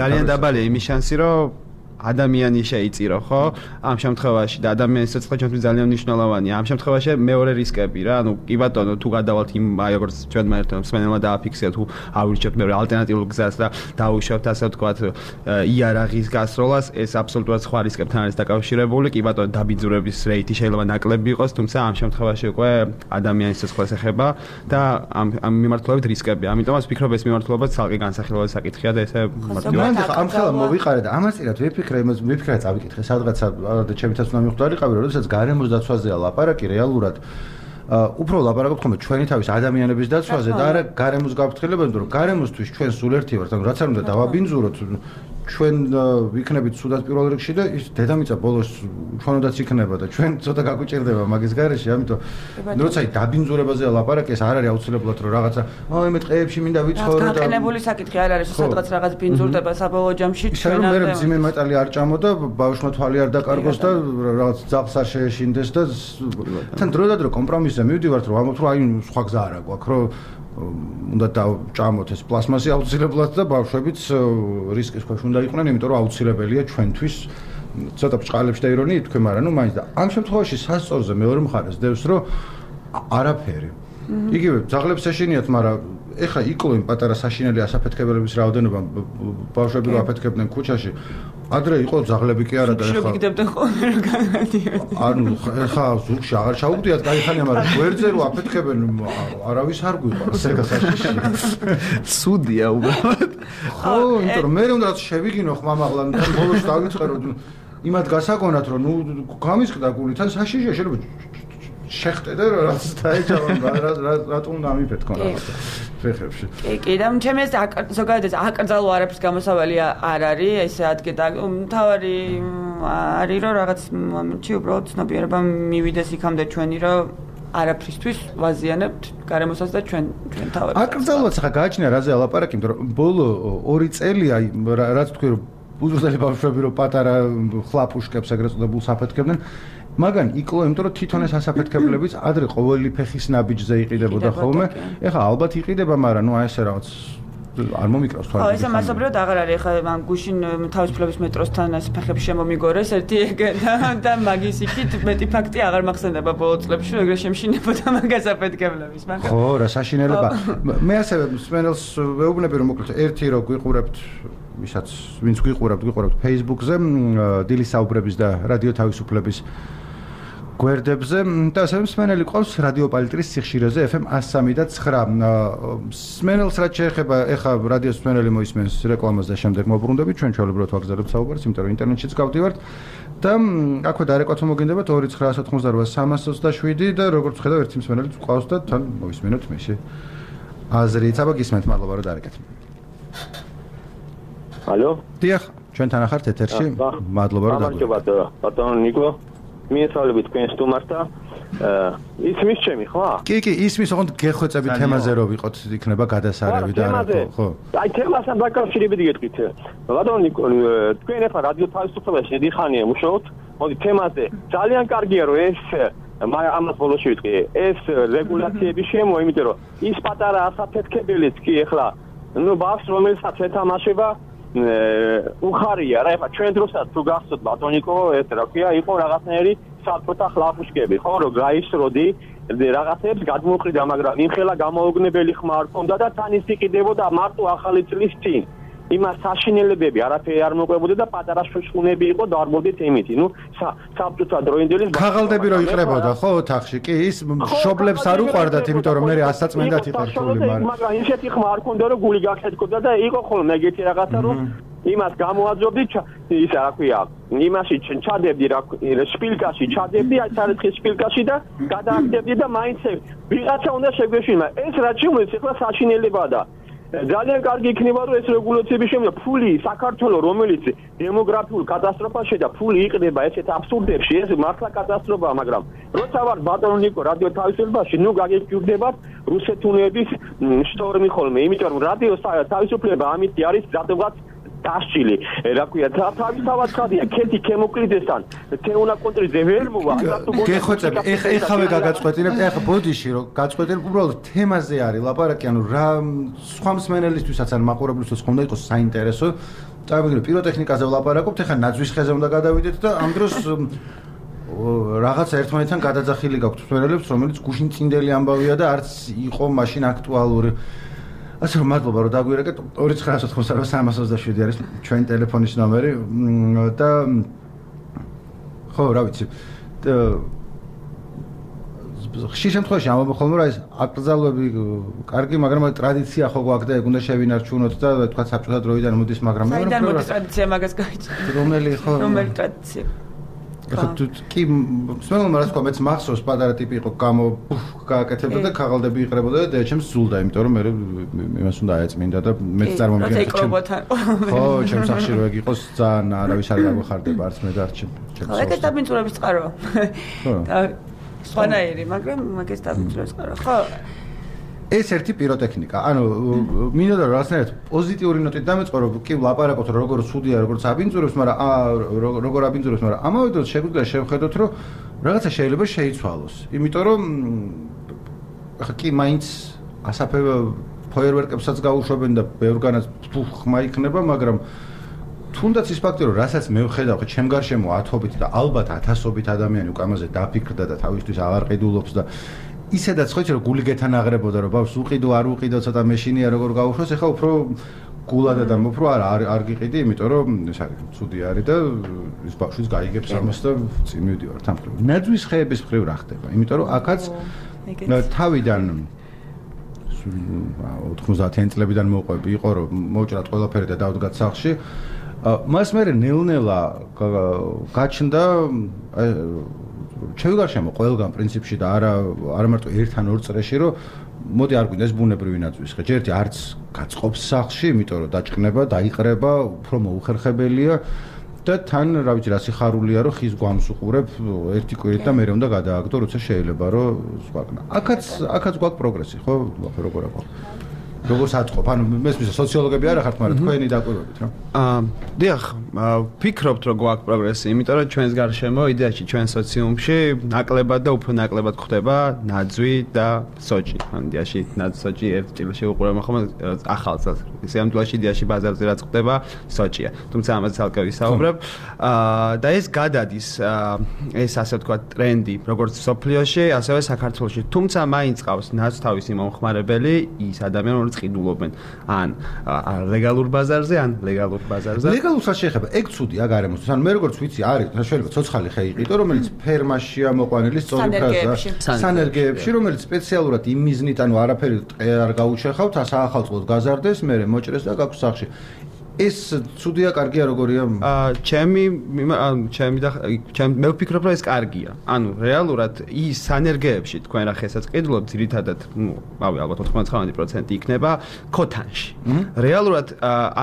ძალიან დაბალი იმის შანსი რომ ადამიანი შეიწირო ხო ამ შემთხვევაში და ადამიანის სიცხე ჩვენთვის ძალიან მნიშვნელოვანია ამ შემთხვევაში მეორე რისკები რა ანუ კი ბატონო თუ გადავალთ იმ აი როგორც ჩვენ მერტო მსმენელმა დააფიქსირა თუ ავირჩევთ მეორე ალტერნატიულ გზას და დაუშვებთ ასე ვთქვათ იარაღის გასროლას ეს აბსოლუტურად სხვა რისკებთან არის დაკავშირებული კი ბატონო დაბიძურების რეიტი შეიძლება ნაკლები იყოს თუმცა ამ შემთხვევაში უკვე ადამიანის სიცხეს ეხება და ამ ამ მიმართულებით რისკებია ამიტომაც ვფიქრობ ეს მიმართულება ცალკე განსახილველი საკითხია და ესე მარტივად ამ ხელა მოვიყარე და ამასწრაფად ვიფიქრე იმას მიფიქრე წავიკითხე სადღაცა და ჩემითაც უნდა მიხვდარიყავი როდესაც გარემოს დაცვაზეა ლაპარაკი რეალურად უფრო ლაპარაკობთ ხოლმე ჩვენი თავის ადამიანების დაცვაზე და არა გარემოს გაფრთხილებაზე რომ გარემოსთვის ჩვენ სულ ერთი ვართ ანუ რაც არ უნდა დავაბინძუროთ ჩვენ ვიქნებით სუდად პირველ რიგში და ის დედამიწა ბოლოს ჩვენოდაც იქნება და ჩვენ ცოტა გაგვიჭირდება მაგის გარეშე, ამიტომ როცა დაბინძურებაზეა ლაპარაკი, ეს არ არის აუცილებლად რომ რაღაცა აი მე ტყეებში მინდა ვიცხოვრო და გაყენებული საკითხი არ არის, სადღაც რაღაც ბინძურდება საბოლოო ჯამში ჩვენ არ მე ძიმე მეტალი არ ჭამო და ბავშვმა თვალი არ დაკარგოს და რაღაც ძაღლს არ შეეშინდეს და თან დროდადრო კომპრომისზე მივდივართ რომ ამბობთ რომ აი სხვა გზა არა გვაქვს რომ უნდა დავჭამოთ ეს პლასმასი აუცილებლად და ბავშვებიც რისკის ქვეშ უნდა იყვნენ, იმიტომ რომ აუცილებელია ჩვენთვის ცოტა ბჭყალებში და ირონიით თქვენ, მაგრამ ნუ მაინც და ამ შემთხვევაში სასწორზე მეორე მხარეს დევს რომ არაფერი. იგივე ძაღლებს ეშინიათ, მაგრამ ეხლა იკლოინ პატარა საშინელი ასაფეთქებელების რაოდენობა ბავშვები რო აფეთქებდნენ ქუჩაში. ადრე იყო ძაღლები კი არა და ეხლა შეგიგდებდნენ ხოლმე რომ განადიოდნენ. ანუ ეხლა ზურგში აღარ ჩაუგდიათ кайხანია, მაგრამ გვერდზე რო აფეთქებენ არავის არ გვიყვარს ეგ საშიში. ცუდია უბრალოდ. ხო, იმიტომ რომ მე უნდა შევიგინო ხმამაღლა და ბოლოს დავიწყერო იმათ გასაგონათ რომ ნუ გამისყდა გული თან საშიშია შეიძლება შეხტე და რაც დაეჭავან რატომ უნდა ამიფეთქონ რაღაცა ფეხებში. კი, კი, და ჩემი ეს ზოგადად ეს აკრძალო არაფრის გამოსავალი არ არის, ესე ადგე და მთავარი არის რომ რაღაც მომენტში უბრალოდ ცნობიერება მივიდეს იქამდე ჩვენი რომ არაფრისთვის ვაზიანებთ გარემოსაც და ჩვენ ჩვენ თავებს. აკრძალოც ხა გააჩნია რაზე ალაპარაკი, იმიტომ რომ ბოლო ორი წელია რაც თქვი რომ უზრდელი ბავშვები რომ პატარა ხლაპუშკებს ეგრეთ წოდებულს აფეთქებდნენ მაგან იკლო, იმიტომ რომ თვითონ ეს ასაფეთქებლებიც ადრე ყოველი ფეხის ნაბიჯზე იყიდებოდა ხოლმე. ეხლა ალბათ იყიდება, მაგრამ ნუ აი ესე რაღაც არ მომიკრავს თვალს. ხო, ესე მასობრივად აღარ არის, ეხლა მან გუშინ თავისუფლების მეტროსთან ეს ფეხები შემომიგორეს ერთი და მაგის იქით მეტი ფაქტი აღარ მახსენდება ბოლო წლებში, რომ ეგრე შემშინებოდა მაგას აფეთქებლების, მაგრამ ხო, რა საშინელება. მე ასევე სპენელს ვეუბნები რომ მოკლედ ერთი რო გვიყურებთ ვისაც ვინც გვიყურებთ, გვიყურებთ Facebook-ზე, დილის საუბრების და რადიო თავისუფლების გვერდებზე და ასევე მსმენელი ყავს რადიო პალიტრის სიხშირეზე ეფ ემ one oh three და nine. მსმენელს რაც შეეხება, ეხა რადიოს მსმენელი მოისმენს რეკლამას და შემდეგ მოbrunდებით, ჩვენ ჩვეულებრივად ვაგზავნებთ საუბარს, იმიტომ რომ ინტერნეტშიც გავდივართ და აქვე დარეკვა თუ მოგინდებათ two nine nine eight three three seven და როგორც ხედავ ერთი მსმენელი ყავს და თან მოისმენოთ მეში აზრით. აბა გისმენთ, მადლობა რომ დარეკეთ. ალო? დიახ, ჩვენთან ახართ ეთერში. მადლობა რომ დაგვრჩით. მადლობა, ბატონო ნიკო. მიესალმებით თქვენ სტუმართა. ისმის ჩემი, ხო? კი, კი, ისმის, ოღონდ გეხვეწები თემაზე რო ვიყოთ, იქნება გადასარევი და არა, ხო? აი, თემასთან დაკავშირებით გეტყვით. ბატონო ნიკო, თქვენ ახლა რადიო თავისუფლებას დიდი ხანია მუშაობთ. მოდი თემაზე. ძალიან კარგია რომ ეს ამას ბოლოში ვიტყვი. ეს რეგულაციები შემო, იმიტომ რომ ის პატარა ასაფეთქებელიც კი ახლა ნუ ბავშვს რომელსაც ეთამაშება უხარია რა, ეხლა ჩვენ დროსაც თუ გახსოვთ ბატონიკო, ეს რა ქვია, იყო რაღაცნაირი საფრთხე ხლაპუშკები, ხო, რომ გაისროდი რაღაცებს გადმოყრიდა, მაგრამ იმხელა გამოუგნებელი ხმა არ ქონდა და თან ის იყიდებოდა მარტო ახალი წლის წინ. იმას საშინელებები არაფერი არ მოყვებოდა და პატარა შუშხუნები იყო და არ მოდით იმითი. ნუ საბჭოთა დროინდელი ხაღალდები რო იყრებოდა, ხო, ოთახში. კი, ის მშობლებს არ უყვარდათ, იმიტომ რომ მე ასაწმენდათ იყერთული, მაგრამ მაგრამ ისეთი ხმა არ ქონდა რომ გული გახეთქოდა და იყო ხოლმე ეგეთი რაღაცა რომ იმას გამოაძობდი ისა რა ქვია, იმაში ჩადებდი რა შპილკაში, ჩადებდი აი სარეთქის შპილკაში და გადააგდებდი და მაინც ვიღაცა უნდა შეგვეშინა. ეს რაც შემოეც ახლა საშინელებაა და ძალიან კარგი იქნება რომ ეს რეგულაციები შემო ფული საქართველოს რომელიც დემოგრაფიულ კატასტროფაში და ფული იყდება ესეთ აბსურდებში ეს მართლა კატასტროფაა მაგრამ როცა ვარ ბატონო ნიკო რადიო თავისუფლებაში ნუ გაგეკიდებათ რუსეთუნების შტორმი ხოლმე იმიტომ რომ რადიო თავისუფლება ამით არის ზადღაც დასჭილი რა ქვია თავისთავად ხადია ქეთი ქემოკლიდესთან თეონა კონტრიძე ვერ მოვა გეხვეწები ეხავე გაგაწყვეტინებთ ეხა ბოდიში რომ გაწყვეტინებ უბრალოდ თემაზე არის ლაპარაკი ანუ რა სხვა მსმენელისთვისაც ან მაყურებლისთვის ხომ უნდა იყოს საინტერესო წავიგნო პიროტექნიკაზე ვლაპარაკობთ ეხა ნაძვის ხეზე უნდა გადავიდეთ და ამ დროს რაღაცა ერთმანეთთან გადაძახილი გაქვთ მსმენელებს რომელიც გუშინ წინდელი ამბავია და არც იყო მაშინ აქტუალური ასე რომ მადლობა რომ დაგვირეკეთ ორი ცხრა ოთხმოცდაოთხ სამას ოცდაშვიდი არის ჩვენი ტელეფონის ნომერი და ხო რა ვიცი ხშირ შემთხვევაში ამბობ ხოლმე რა ეს აკრძალვები კარგი მაგრამ ტრადიცია ხო გვაქვს და ეგ უნდა შევინარჩუნოთ და თქვა საბჭოთა დროიდან მოდის მაგრამ მე რომ საიდან მოდის ტრადიცია მაგას გაიჭირეთ რომელი ხო რომელი ტრადიცია ახლა თუ კი მსმენელმა რა თქვა მეც მახსოვს პატარა ტიპი იყო გამო გააკეთებდა და ქაღალდები იყრებოდა და ჩემს ზულდა იმიტომ რომ მე იმას უნდა აეწმინდა და მეც წარმომიდგენდი ხო ჩემს სახში რო ეგ იყოს ძალიან არავის არ გაგვეხარდება არც მე და არც ჩემს ხო ეგეც დაბინძურების წყარო და სხვანაირი მაგრამ მაგის დაბინძურების წყარო ხო ეს ერთი პიროტექნიკა. ანუ მინდა რომ რაღაცნაირად პოზიტიური ნოტით დამეწყო რომ კი ვლაპარაკოთ რომ როგორ ცუდია, როგორ აბინძურებს, მაგრამ როგორ აბინძურებს, მაგრამ ამავე დროს შეგვიძლია შევხედოთ რომ რაღაცა შეიძლება შეიცვალოს. იმიტომ რომ ახლა კი მაინც ასაფე ფოიერვერკებსაც გაუშვებენ და ბევრგანაც ხმა იქნება, მაგრამ თუნდაც ის ფაქტი რომ რასაც მე ვხედავ ხო ჩემ გარშემო ათობით და ალბათ ათასობით ადამიანი უკვე ამაზე დაფიქრდა და თავისთვის აღარ ყიდულობს და ისედაც ხო იცი რომ გული გეთანაღრებოდა რომ ბავშვს უყიდო არ უყიდო ცოტა მეშინია როგორ გაუშვოს ეხლა უფრო გულადა და უფრო არ არ გიყიდი იმიტომ რომ ეს არის ცუდი არის და ის ბავშვიც გაიგებს ამას და წინ მივდივარ თამხრივ ნაძვის ხეების მხრივ რა ხდება იმიტომ რომ აქაც თავიდან ოთხმოცდაათიანი წლებიდან მოყვები იყო რომ მოვჭრათ ყველაფერი და დავდგათ სახლში მას მე ნელ-ნელა გაჩნდა ჩემი გარშემო ყველგან პრინციპში და არა არა მარტო ერთ ან ორ წრეში რომ მოდი არ გვინდა ეს ბუნებრივი ნაძვის ხე ჯერ ერთი არც გაწყობს სახლში იმიტომ რომ დაჭყნება დაიყრება უფრო მოუხერხებელია და თან რა ვიცი რა სიხარულია რომ ხის გვამს უყურებ ერთი კვირით და მე უნდა გადააგდო როცა შეიძლება რომ სხვაკნა აქაც აქაც გვაქვს პროგრესი ხო როგორ აქვს როგორ საწყობ ანუ მესმის სოციოლოგები არ ახართ მაგრამ თქვენი დაკვირვებით რა აა დიახ ვფიქრობთ რომ გვაქვს პროგრესი იმიტომ რომ ჩვენს გარშემო იდეაში ჩვენ სოციუმში ნაკლებად და უფრო ნაკლებად ხდება ნაძვი და სოჭი ან იდეაში ნაძვი სოჭი ერთ ჭილში უყურებთ ხოლმე ახალს ისე ამ თვალში იდეაში ბაზარზე რაც ხდება სოჭია თუმცა ამაზე ცალკე ვისაუბრებ აა და ეს გადადის ეს ასე ვთქვათ ტრენდი როგორც სოფლიოში ასევე საქართველოში თუმცა მაინც ყავს ნაცთავისი მომხმარებელი ის ადამიანი ყიდულობენ ან ლეგალურ ბაზარზე ან ლეგალურ ბაზარზე ლეგალურსაც შეიძლება ეგ ცუდია გარემოსთვის ან მე როგორც ვიცი არის შეიძლება ცოცხალი ხე იყიდო რომელიც ფერმაშია მოყვანილი სწორი ფრაზა სანერგეებში რომელიც სპეციალურად იმ მიზნით ანუ არაფერი ტყე არ გაუჩეხავთ საახალწლოდ გაზარდეს მე მოჭრეს და გაქვს სახში ეს ცუდია კარგია როგორია აა ჩემი ჩემი და ჩემ მე ვფიქრობ რომ ეს კარგია ანუ რეალურად ის სანერგეებში თქვენ რა ხესაც ყიდულობთ ძირითადად ნუ რავი ალბათ ოთხმოცდათხმეტი პროცენტი იქნება ქოთანში რეალურად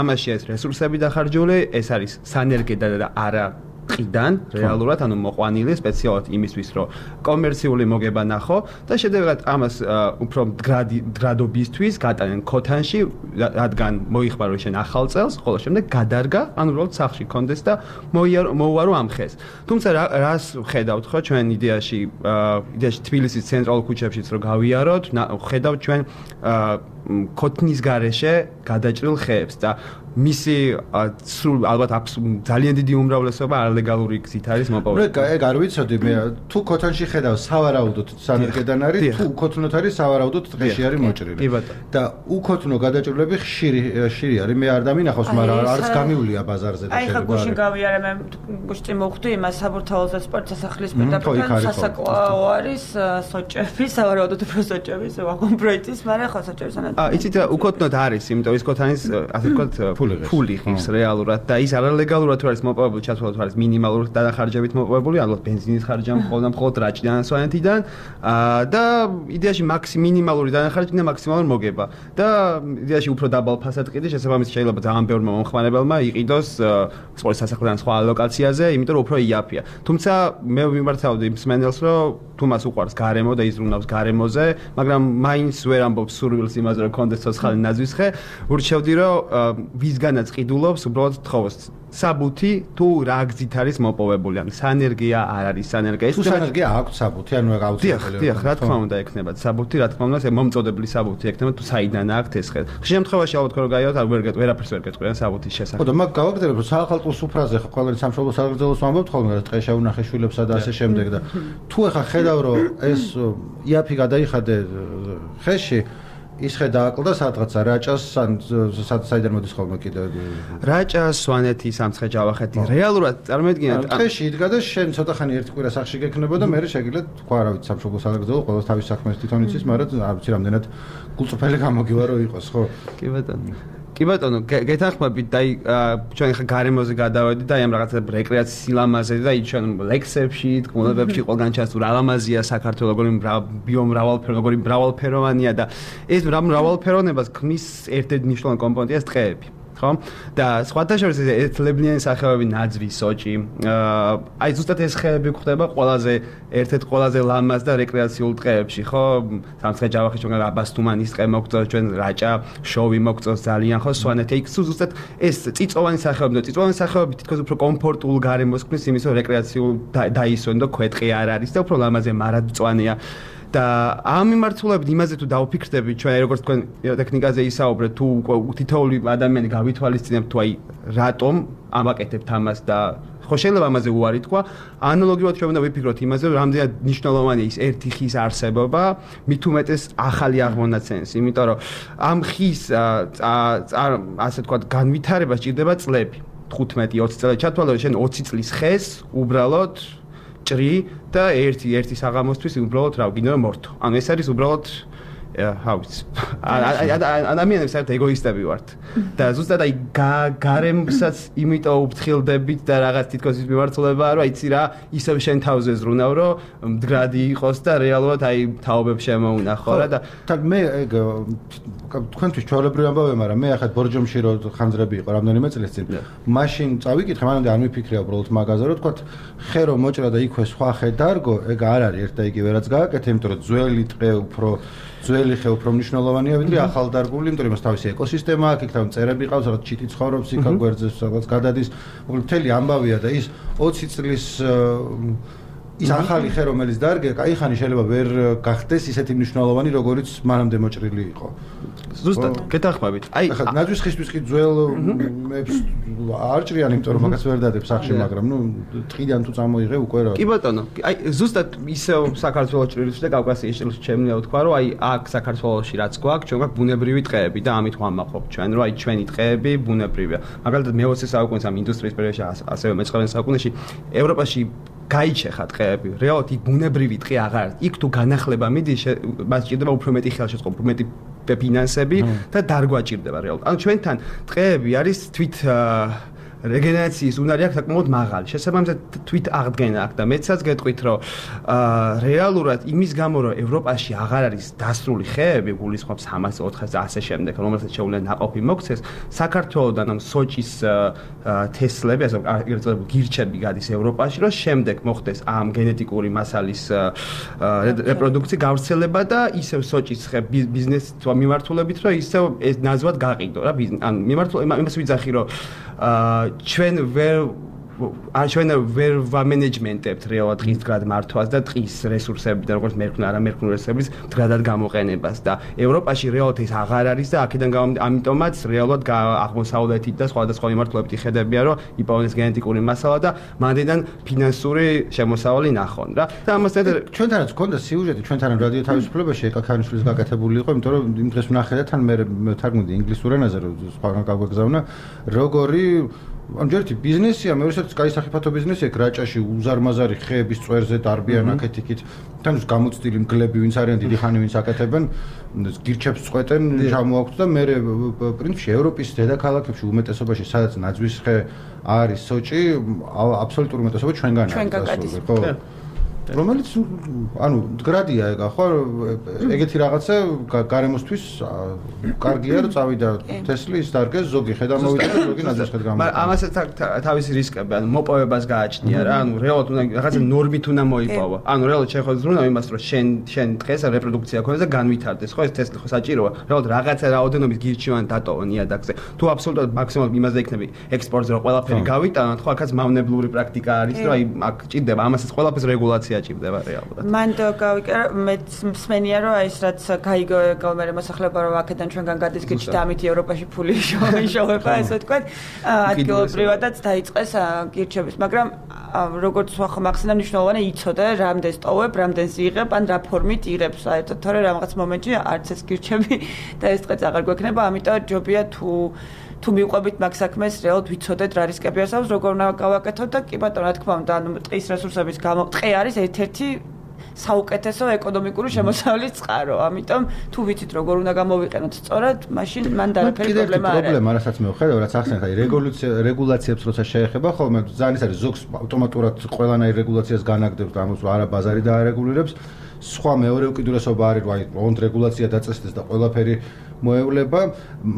ამაში ეს რესურსები დახარჯული ეს არის სანერგე და არა ყიდან რეალურად ანუ მოყვანილი სპეციალურად იმისთვის რომ კომერციული მოგება ნახო და შედეგად ამას უფრო გრადობისთვის გატანენ ქოთანში რადგან მოიხმარო შენ ახალ წელს ხოლო შემდეგ გადარგა ანუ უბრალოდ სახლში კონდეს და მოუარო ამ ხეს თუმცა რას ხედავთ ხო ჩვენ იდეაში იდეაში თბილისის ცენტრალურ ქუჩებშიც რომ გავიაროთ ხედავთ ჩვენ ქოთნის გარეშე გადაჭრილ ხეებს და მისი სულ ალბათ აქვს ძალიან დიდი უმრავლესობა არალეგალური გზით არის მოპოვებული. მე ეგ არ ვიცოდი მე თუ ქოთანში ხედავ სავარაუდოდ სანერგედან არის თუ უქოთნოთ არის სავარაუდოდ დღეში არის მოჭრილი. და უქოთნო გადაჭრილები ხშირი ხშირი არის მე არ დამინახავს მაგრამ არც გამივლია ბაზარზე და შეიძლება. აი ხა გუშინ გავიარე მე გუშინ მოვხვდი იმას საბურთალოზე სპორტ სასახლის პირდაპირ სასაკლაო არის სოჭები სავარაუდოდ უფრო სოჭები ვაგონ პროექტის მაგრამ ხო სოჭების ანალიზი. აა იცით უქოთნოთ არის იმიტომ ის ქოთანის ასე ვთქვათ ფული ხის რეალურად და ის არალეგალურად თუ არის მოპოვებული ჩათვალოთ არის მინიმალური დანახარჯებით მოპოვებული ალბათ ბენზინის ხარჯი მხოლოდ მხოლოდ რაჭიდან სვანეთიდან და იდეაში მაქსი მინიმალური დანახარჯი და მაქსიმალური მოგება და იდეაში უფრო დაბალ ფასად ყიდი შესაბამისად შეიძლება ძალიან ბევრმა მომხმარებელმა იყიდოს სპორტ სასახლიდან სხვა ლოკაციაზე იმიტომ რომ უფრო იაფია თუმცა მე ვიმართავდი მსმენელს რომ თუ მას უყვარს გარემო და იზრუნავს გარემოზე მაგრამ მაინც ვერ ამბობს სურვილს იმაზე რომ კონდეს ცოცხალი ნაძვის ხე ურჩევდი რომ ვისგანაც ყიდულობს უბრალოდ თხოვოს საბუთი თუ რა გზით არის მოპოვებული ან სანერგია არ არის სანერგია თუ სანერგია აქვს საბუთი ანუ აუცილებელია დიახ რა თქმა უნდა ექნება საბუთი რა თქმა უნდა ეს მომწოდებელი საბუთი ექნება თუ საიდან აქვს ეს ხე ხშირ შემთხვევაში ალბათ რომ გაიოთ არ ვერ ვერაფერს ვერ გეტყვიან საბუთის შესახებ ხო და მაგ გავაგრძელებ რომ საახალწლო სუფრაზე ხო ყველანი სამშობლო საქართველოს ვამბობთ ხოლმე რა ტყე შეუნახე შვილებსა და ასე შემდეგ და თუ ახლა ხედავ რომ ეს იაფი გადაიხადე ხეში ის ხე დააკლდა სადღაცა რაჭას ან საიდან მოდის ხოლმე კიდე რაჭას სვანეთი სამცხე ჯავახეთი რეალურად წარმოედგინეთ ხეში იდგა და შენ ცოტა ხანი ერთი კვირა სახში გექნება და მე შეგიძლიათ თქვა რა ვიცი სამშობლო საქართველოს ყოველს თავის საქმეს თვითონ იცის მაგრამ არ ვიცი რამდენად გულწრფელი გამოგივა რომ იყოს ხო კი ბატონო კი ბატონო, გეთანხმებით და ჩვენ ხა გარემოზე გადავედი და ამ რაღაცა რეკრეაციის სილამაზე და იქ ჩვენ ლექსებში, თქმულებებში ყველგან ჩანს თუ რა ლამაზია საქართველო, როგორი ბიომრავალფეროვანი, როგორი მრავალფეროვანია და ეს მრავალფეროვნებას ქმნის ერთ-ერთი მნიშვნელოვანი კომპონენტია ტყეები. ხო? და სხვათა შორის ერთლებნიანი სახეობები ნაძვი, სოჭი. აი ზუსტად ეს ხეები გვხვდება ყველაზე ერთ-ერთ ყველაზე ლამაზ და რეკრეაციულ ტყეებში, ხო? სამცხე-ჯავახის ჩვენ აბასთუმანის ტყე მოგწონს, ჩვენ რაჭა, შოვი მოგწონს ძალიან, ხო? სვანეთი. იქ ზუსტად ეს წიწოვანი სახეობები და წიწოვანი სახეობები თითქოს უფრო კომფორტულ გარემოს ქმნის იმის, რომ რეკრეაციულ დაისვენ და ქვეტყი არ არის და უფრო ლამაზია, მარადმწვანეა. და ამ მიმართულებით იმაზე თუ დავფიქრდები ჩვენ როგორც თქვენ ტექნიკაზე ისაუბრეთ თუ თითოეული ადამიანი გავითვალისწინებთ თუ აი რატომ ამაკეთებთ ამას და ხო შეიძლება ამაზე უარი თქვა ანალოგიურად ჩვენ უნდა ვიფიქროთ იმაზე რომ რამდენად მნიშვნელოვანია ის ერთი ხის არსებობა მით უმეტეს ახალი აღმონაცენს იმიტომ რომ ამ ხის ასე თქვა განვითარება სჭირდება წლები თხუთმეტი ოცი წელი ჩათვალე შენ ოცი წლის ხეს უბრალოდ ჭრი და ერთი ერთი საღამოსთვის უბრალოდ რა გინდა მორთო. ანუ ეს არის უბრალოდ how it's ადამიანებს საერთოდ ეგოისტები ვართ. და ზუსტად აი გარემოსაც იმიტომ უფრთხილდებით და რაღაც თითქოს ის მიმართულებაა რომ აიცი რა ისევ შენ თავზე ზრუნავ რომ მდგრადი იყოს და რეალურად აი თაობებს შემოუნახო რა და თან მე ეგ თქვენთვის ჩვეულებრივი ამბავია, მაგრამ მე ახლა ბორჯომში რო ხანძრები იყო რამდენიმე წელს წინ. მაშინ წავიკითხე, მანამდე არ მიფიქრია უბრალოდ მაგაზე, რომ თქვა ხე რომ მოჭრა და იქვე სხვა ხე დარგო, ეგ არ არის ერთ და იგივე რაც გააკეთე, იმიტომ რომ ძველი ტყე უფრო ძველი ხე უფრო მნიშვნელოვანია, ვიდრე ახალდარგული, იმიტომ რომ მას თავისი ეკოსისტემა აქვს, იქ თავი მწერები ყავს, რაღაც ჩიტი ცხოვრობს, იქ გვერდზე რაღაც გადადის. მოკლედ მთელი ამბავია და ის ოცი წლის ის ახალი ხე რომელიც დარგე, კაიხანი შეიძლება ვერ გახდეს ისეთი მნიშვნელოვანი, როგორიც მანამდე მოჭრილი იყო. ზუსტად, გეთანხმებით. აი, ახლა ნაძვის ხისთვის კი ძველებს არ ჭრიან, იმიტომ რომ მაგას ვერ დადებ სახში, მაგრამ ნუ ტყიდან თუ წამოიღე უკვე რა. კი ბატონო, აი ზუსტად ისევ საქართველოს ჭრილში და კავკასიის ჭრილში შემიძლია ვთქვა, რომ აი აქ საქართველოში რაც გვაქვს, ჩვენ გვაქვს ბუნებრივი ტყეები და ამით ვამაყობ ჩვენ, რომ აი ჩვენი ტყეები ბუნებრივია. მაგალითად მეოცე საუკუნის ამ ინდუსტრიის პერიოდში, ასევე მეცხრამეტე საუკუნეში ევროპაში გაიჩეხა ტყეები. რეალურად იქ ბუნებრივი ტყე აღარ არის. იქ თუ განახლება მიდის, მას სჭირდება უფრო მეტი ხელშეწყობა, უფრო მეტი ფინანსები და დარგვა ჭირდება რეალურად. ანუ ჩვენთან ტყეები არის თვით რეგენერაციის უნარი აქვს საკმაოდ მაღალი. შესაბამისად თვით აღდგენა აქვს და მეცაც გეტყვით, რომ რეალურად იმის გამო, რომ ევროპაში აღარ არის დასრული ხეები, გულისხმობს სამას ოთხას და ასე შემდეგ, რომელსაც შეუძლია ნაყოფი მოქცეს, საქართველოდან ამ სოჭის თესლები, ასე ვთქვათ, გირჩები გადის ევროპაში, რომ შემდეგ მოხდეს ამ გენეტიკური მასალის რეპროდუქცია, გავრცელება და ისევ სოჭის ხე ბიზნესით მიმართულებით, რომ ისევ ეს ნაзвად გაყიდო რა, ან მიმართულებით იმას ვიძახი, რომ ჩვენ ვერ არ ჩვენ ვერ ვამენეჯმენტებთ რეალურად ტყის მდგრად მართვას და ტყის რესურსებიდან როგორც მერქნა არა მერქნულ რესურსების მდგრადად გამოყენებას და ევროპაში რეალურად ეს აღარ არის და აქედან ამიტომაც რეალურად აღმოსავლეთით და სხვადასხვა მიმართულებით ხედებია რომ იპოვეს გენეტიკური მასალა და მანდიდან ფინანსური შემოსავალი ნახონ რა და ამასთან ჩვენთანაც გქონდა სიუჟეტი ჩვენთან რადიო თავისუფლებაში ეკაკანიშვილის გაკეთებული იყო იმიტომ რომ იმ დღეს ვნახე და თან მე თარგმნიდი ინგლისურ ენაზე რომ სხვაგან გავგზავნა როგორი ამ ჯერტი ბიზნესია, მეორესაც კაი სახიფათო ბიზნესია, რაჭაში უზარმაზარი ხეების წვერზე დარბიან აქეთ-იქით. თან გამოცდილი მგლები ვინც არიან დიდი ხანი ვინც აკეთებენ, გირჩებს წყვეტენ, ჩამოაქვთ და მე პრინციპში ევროპის დედაქალაქებში უმეტესობაში სადაც ნაძვის ხე არის სოჭი, აბსოლუტური უმეტესობა ჩვენგან არის, ხო? რომელიც ანუ მდგრადია ეგა ხო ეგეთი რაღაცა გარემოსთვის კარგია რომ წავიდა თესლის დარგეს ზოგი ხედამოვიდა და ზოგი ნაძვის ხედ გამოიყენა მაგრამ ამასაც თავისი რისკები ანუ მოპოვებას გააჩნია რა ანუ რეალურად უნდა რაღაცა ნორმით უნდა მოიპოვო ანუ რეალურად შეხოს ზრუნავ იმას რომ შენ შენ დღეს რეპროდუქცია ქონდეს და განვითარდეს ხო ეს თესლი ხო საჭიროა რეალურად რაღაცა რაოდენობის გირჩევან დატოვო ნიადაგზე თუ აბსოლუტურად მაქსიმალურად იმაზე იქნები ექსპორტზე რომ ყველაფერი გავიტანოთ ხო აქაც მავნებლური პრაქტიკა არის რომ აი აქ ჭირდება ამასაც ყველაფერს რეგულაცია ჭირდება რეალურად. მან გავიკერა მე მსმენია რომ ეს რაც გაიგო გამერე მოსახლეობა რომ აქედან ჩვენგან გადის გიჩი და ამით ევროპაში ფული შოუება ესე ვთქვათ ადგილობრივადაც დაიწყეს გირჩების მაგრამ როგორც სხვა ხმახსნა მნიშვნელოვანი იცოდე რამდენს ტოვებ რამდენს იღებ ან რა ფორმით იღებს საერთოდ თორე რაღაც მომენტში არც ეს გირჩები და ეს დღეც აღარ გვექნება ამიტომ ჯობია თუ თუ მიყვებით მაგ საქმეს რეალურად ვიცოდეთ რა რისკები არსებობს როგორ უნდა გავაკეთოთ და კი ბატონო რა თქმა უნდა ანუ ტყის რესურსების გამო ტყე არის ერთ-ერთი საუკეთესო ეკონომიკური შემოსავლის წყარო. ამიტომ თუ ვიცით როგორ უნდა გამოვიყენოთ სწორად, მაშინ მან დარაფერი პრობლემა არ არის. პრობლემა, რასაც მე ვხედავ, რაც ახსენეთ, აი რეგულაცია რეგულაციებს როცა შეეხება, ხოლმე ძალიან ის არის ზოგს ავტომატურად ყველანაირ რეგულაციას განაგდებს და ამას არა ბაზარი დაარეგულირებს. სხვა მეორე უკიდურესობა არის, აი ოღონდ რეგულაცია დაწესდეს და ყველაფერი მოევლება,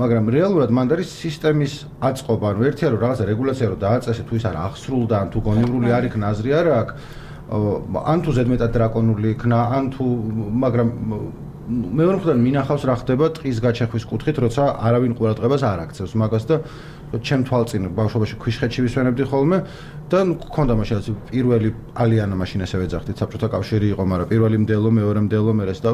მაგრამ რეალურად მანდ არის სისტემის აწყობა, ანუ ერთია რომ რაღაცა რეგულაცია რომ დააწესე, თუ ის არ აღსრულდა, ან თუ გონივრული არ იქნა, აზრი არ აქვს, ან თუ ზედმეტად დრაკონული იქნა, ან თუ მაგრამ მეორე მხარეს მინახავს რა ხდება ტყის გაჩეხვის კუთხით, როცა არავინ ყურადღებას არ აქცევს მაგას და ჩემ თვალწინ ბავშვობაში ქვიშხეთში ვისვენებდი ხოლმე და მქონდა მაშინ პირველი ალიანა მაშინ ესე ვეძახდით საბჭოთა კავშირი იყო, მაგრამ პირველი მდელო, მეორე მდელო, მერე და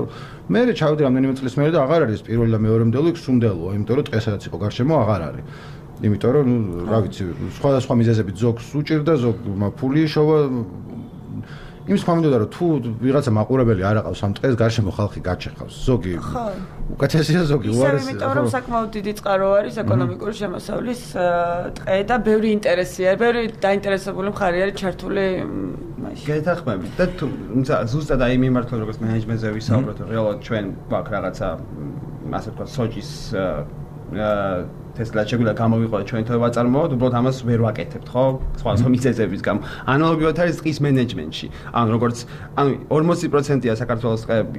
მე ჩავდი რამდენიმე წლის მერე და აღარ არის პირველი და მეორე მდელო, იქ სუნდელოა, იმიტომ რომ დღესაც იყო გარშემო აღარ არის. იმიტომ რომ ნუ რა ვიცი, სხვადასხვა მიზეზებით ზოგს უჭირდა, ზოგ ფული შოვა იმის ხმამდე რომ თუ ვიღაცა მაყურებელი არ აყავს ამ ტყეს გარშემო ხალხი გაჩეხავს. ზოგი უკეთესია, ზოგი უარეს. ისე იმიტომ რომ საკმაოდ დიდი წყარო არის ეკონომიკური შემოსავლის ტყე და ბევრი ინტერესია, ბევრი დაინტერესებული მხარე არის ჩართული მაშინ. გეთახმებით და თუ ზუსტად აი მიმართულ როგორც მენეჯმენტზე ვისაუბროთ, რეალურად ჩვენ გვაქვს რაღაცა ასე ვთქვათ სოჭის Tesla შეგვიძლია გამოვიყო ჩვენ თვე ვაწარმოოთ, უბრალოდ ამას ვერ ვაკეთებთ, ხო? სხვა სხვა მიზეზების გამო. ანალოგიურად არის ტყის მენეჯმენტში. ანუ როგორც ანუ ორმოცი პროცენტია საქართველოს ტყეები,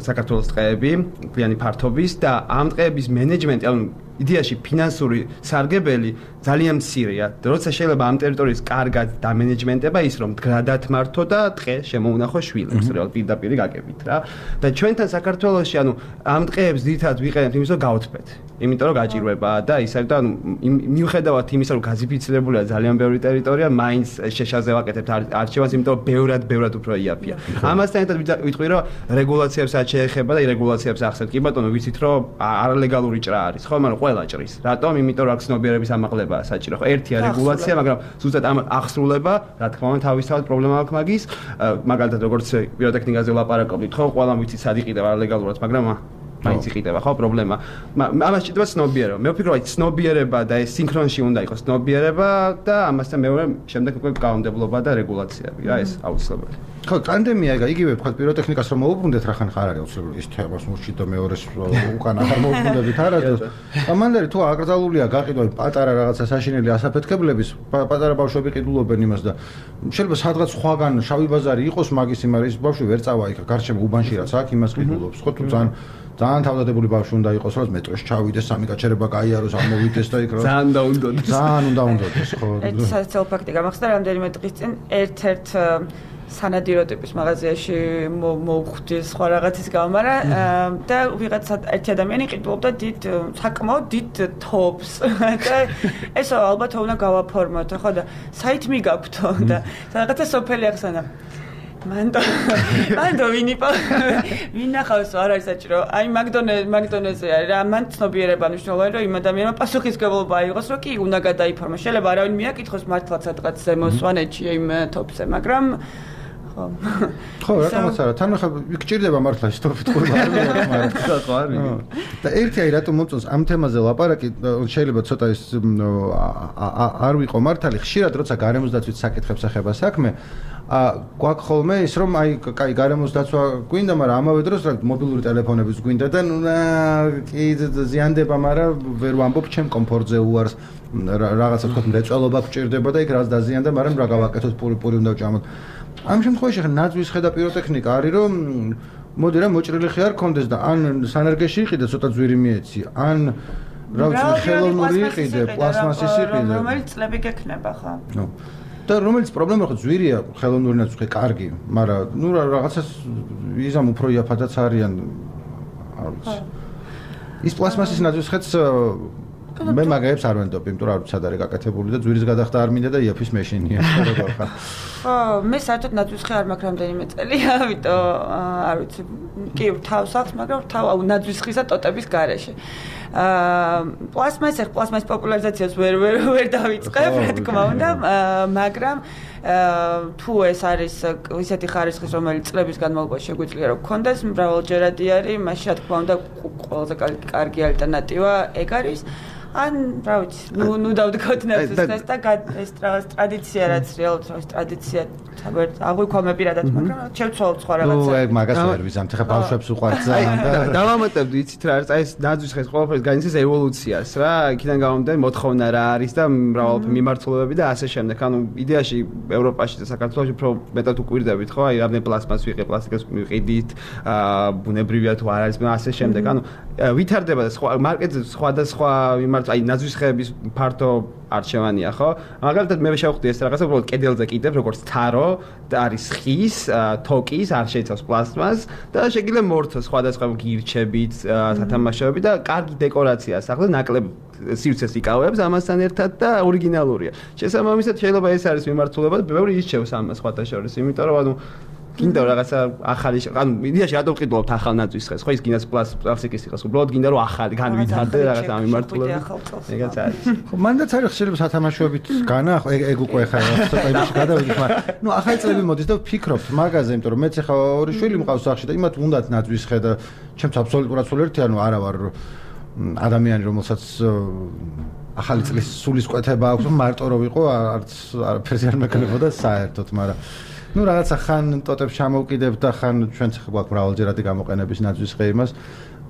საქართველოს ტყეები, კლიანი ფართობის და ამ ტყეების მენეჯმენტი, ანუ იდეაში ფინანსური სარგებელი ძალიან მცირეა. როცა შეიძლება ამ ტერიტორიის კარგად დამენეჯმენტება ის რომ მდგრადად მართო და ტყე შემოუნახო შვილებს, რეალ პირდაპირ გაკებით რა. და ჩვენთან საქართველოში ანუ ამ ტყეებს ძირითადად ვიყენებთ იმის რომ გავთბეთ. იმიტომ რომ გაჭირვება და ის არის და ანუ მიუხედავად იმისა რომ გაზიფიცირებულია ძალიან ბევრი ტერიტორია, მაინც შეშაზე ვაკეთებთ არჩევანს, იმიტომ რომ ბევრად ბევრად უფრო იაფია. ამასთან ერთად ვიტყვი რომ რეგულაციებს არ შეეხება და რეგულაციებს ახსენეთ. კი ბატონო, ვიცით რომ არალეგალური ჭრა არის, ხო, მაგრამ ყველა ჭრის. რატომ? იმიტომ რომ აქ ცნობიერების ამაღლებაა საჭირო. ხო, ერთია რეგულაცია, მაგრამ ზუსტად ამ აღსრულება, რა თქმა უნდა, თავისთავად პრობლემა აქვს მაგის. მაგალითად, როგორც პიროტექნიკაზე ვლაპარაკობთ, ხო, ყველა ვიცით სად იყიდება არალეგალურად, მაგრამ მაინც იყიდება, ხო, პრობლემა. ამას ჭირდება ცნობიერება. მე ვფიქრობ, აი ცნობიერება და ეს სინქრონში უნდა იყოს ცნობიერება და ამასთან მეორე შემდეგ უკვე კანონმდებლობა და რეგულაციები, რა ეს აუცილებელი. ხო, პანდემია იგივე ვთქვათ პიროტექნიკას რომ მოუბრუნდეთ, რახან ხარ არის აუცილებელი ის თემას მურჩი და მეორეს უკან აღარ მოუბრუნდებით არასდროს. ამანდარი თუ აკრძალულია გაყიდვა პატარა რაღაცა საშინელი ასაფეთქებლების, პატარა ბავშვები ყიდულობენ იმას და შეიძლება სადღაც სხვაგან შავი ბაზარი იყოს მაგის იმარი ის ბავშვი ვერ წავა იქ გარშემო უბანში რაც აქ იმას ყიდულობს, ხო თუ ძალიან ძალიან თავდადებული ბავშვი უნდა იყოს, რომ მეტროში ჩავიდეს, სამი გაჩერება გაიაროს, ამოვიდეს და იქ რა. ძალიან უნდა უნდოდეს. ძალიან უნდა უნდოდეს, ხო. ეს საერთო ფაქტი გამახსდა რამდენიმე დღის წინ ერთ-ერთ სანადირო ტიპის მაღაზიაში მოვხვდი სხვა რაღაცის გამო, მაგრამ და ვიღაცა ერთი ადამიანი ყიდულობდა დიდ საკმაოდ დიდ თობს და ეს ალბათ უნდა გავაფორმოთ, ხო და საით მიგაქვთო და რაღაცა სოფელი ახსენა. მანდო მანდო ვინიპო ვინახავს არ არის საჭირო აი მაგდონე მაგდონეზე არის რა მან ცნობიერება მნიშვნელოვანი რომ იმ ადამიანმა პასუხისმგებლობა აიღოს რომ კი უნდა გადაიფორმა შეიძლება არავინ მიაკითხოს მართლაც სადღაც ზემო სვანეთში იმ თოფზე მაგრამ ხო ხო რატომაც არა თან ხა გჭირდება მართლა ისტორიით ყურება მაგრამ ხო არის და ერთი აი რატომ მომწონს ამ თემაზე ლაპარაკი შეიძლება ცოტა ის არ ვიყო მართალი ხშირად როცა გარემოს დაცვის საკითხებს ეხება საქმე ა გვაქვს ხოლმე ის რომ აი კაი გარემოს დაცვა გვინდა, მაგრამ ამავე დროს რა მობილური ტელეფონებიც გვინდა და ნუ კი ზიანდება, მაგრამ ვერ ვამბობ ჩემ კომფორტზე უარს რაღაცა თქო მრეწველობა გჭირდება და იქ რაც დაზიანდა, მაგრამ რა გავაკეთოთ პური პური უნდა ვჭამოთ. ამ შემთხვევაში ხა ნაძვის ხედა პიროტექნიკა არის რომ მოდი რა მოჭრილი ხე არ კონდეს და ან სანერგეში იყიდე ცოტა ძვირი მიეცი, ან რა ვიცი ხელოვნური იყიდე, პლასმასის იყიდე. რომელიც წლები გექნება ხა. ნუ და რომელიც პრობლემა ხო ძვირია ხელოვნური ნაცვლი კარგი, მაგრამ ნუ რაღაცას იზამ უფრო იაფადაც არიან. არ ვიცი. ის პლასმასის ნაცვლის ხეთს მე მაგაებს არ ვენდობ, იმიტომ რომ არ ვიცი სად არის გაკეთებული და ძვირის გადახდა არ მინდა და იაფის მეშინია, როგორ ხარ? ხო, მე საერთოდ ნაცვის ხე არ მაქვს რამდენიმე წელია, ამიტომ არ ვიცი. კი, თავს აქვს, მაგრამ თავ ნაცვის ხისა ტოტების გარეშე. აა პლასმასის პლასმასის პოპულარიზაციას ვერ ვერ ვერ დავიწყებ, რა თქმა უნდა, მაგრამ თუ ეს არის ისეთი ხარისხის, რომელიც წლების განმავლობაში შეგვიძლია რომ გქონდეს, მრავალჯერადი არის, მაშინ რა თქმა უნდა ყველაზე კარგი ალტერნატივა ეგ არის. ან რა ვიცი, ნუ ნუ დავდგოთ ნებსს ეს და ეს რაღაც ტრადიცია რაც რეალურად ეს ტრადიცია საბერ აღვიქვამე პირადად, მაგრამ შევცვალოთ სხვა რაღაცა. ნუ ეგ მაგას ვერ ვიზამთ, ხა ბავშვებს უყვართ ძალიან და დავამატებდი, იცით რა არის, აი ეს ნაძვის ხეს ყველაფერს განიცდის ევოლუციას რა, იქიდან გამომდინარე მოთხოვნა რა არის და მრავალფერი მიმართულებები და ასე შემდეგ. ანუ იდეაში ევროპაში და საქართველოში უფრო მეტად უკვირდებით ხო? აი რამდენი პლასმას ვიყიდით, პლასტიკას ვიყიდით, აა ბუნებრივია თუ არ არის, ასე შემდეგ. ანუ ვითარდება და სხვა მარკეტზე სხვადასხვა მიმართ, აი ნაძვის ხეების ფართო არჩევანია ხო? მაგალითად მე შევხვდი ეს რაღაცა უბრალოდ კედელზე კიდევ როგორც თარო და არის ხის, თოკის, არ შეიცავს პლასტმას და შეგიძლია მორთოს სხვადასხვა გირჩებით, სათამაშოები და კარგი დეკორაციაა სახლზე, ნაკლებ სივრცეს იკავებს ამასთან ერთად და ორიგინალურია. შესაბამისად შეიძლება ეს არის მიმართულება და ბევრი ირჩევს ამას სხვათა შორის, იმიტომ რომ ანუ გინდა რაღაცა ახალი, ანუ იდეაში რატომ ვყიდულობთ ახალ ნაძვის ხეს, ხო ის გინდა პლასტიკის იყოს, უბრალოდ გინდა რომ ახალი განვითარდე რაღაცა მიმართულებით. ეგაც არის. ხო, მანდაც არის შეიძლება სათამაშოებით განახო, ეგ უკვე ხა ცოტა იმაში გადავიდეთ, მაგრამ ნუ ახალი წლები მოდის და ვფიქრობთ მაგაზე, იმიტომ რომ მეც ახლა ორი შვილი მყავს სახში და იმათ უნდათ ნაძვის ხე და ჩემს აბსოლუტურად სულ ერთი, ანუ არა ვარ ადამიანი, რომელსაც ახალი წლის სულისკვეთება აქვს, მარტო რო ვიყო, არც არაფერს არ მექნებოდა საერთოდ, მაგრამ ну რაღაცა ხან ტოტებს ჩამოვკიდებ და ხან ჩვენც გვაქვს მრავალჯერადი გამოყენების ნაძვის ხე იმას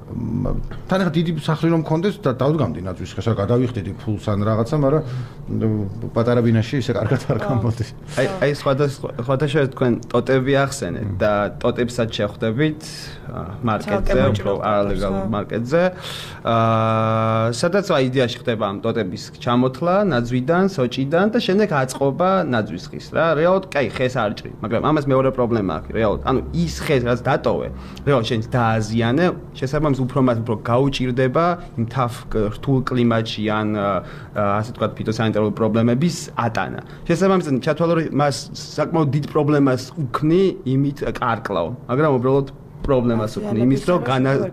თან ახლა დიდი სახლი რომ მქონდეს და დავდგამდი ნაძვის ხეს, რა გადავიხდიდი ფულს ან რაღაცა, მაგრამ პატარა ბინაში ისე კარგად არ გამოდის. აი აი სხვადასხვა სხვადასხვა თქვენ ტოტები ახსენეთ და ტოტებსაც შეხვდებით მარკეტზე, უფრო არალეგალ მარკეტზე. აა სადაც აი იდეაში ხდება ამ ტოტების ჩამოთლა ნაძვიდან, სოჭიდან და შემდეგ აწყობა ნაძვის ხის რა. რეალურად კაი ხეს არ ჭრი, მაგრამ ამას მეორე პრობლემა აქვს რეალურად. ანუ ის ხეს რაც დატოვე, რეალურად შენ დააზიანე, შესაბამისად უფრო მას უფრო გაუჭირდება იმ თაფ რთულ კლიმატში ან ასე ვთქვათ ფიტოსანიტარული პრობლემების ატანა. შესაბამისად ჩათვალო რომ მას საკმაოდ დიდ პრობლემას უქმნი იმით კარკლავ, მაგრამ უბრალოდ პრობლემას უქმნი იმის რომ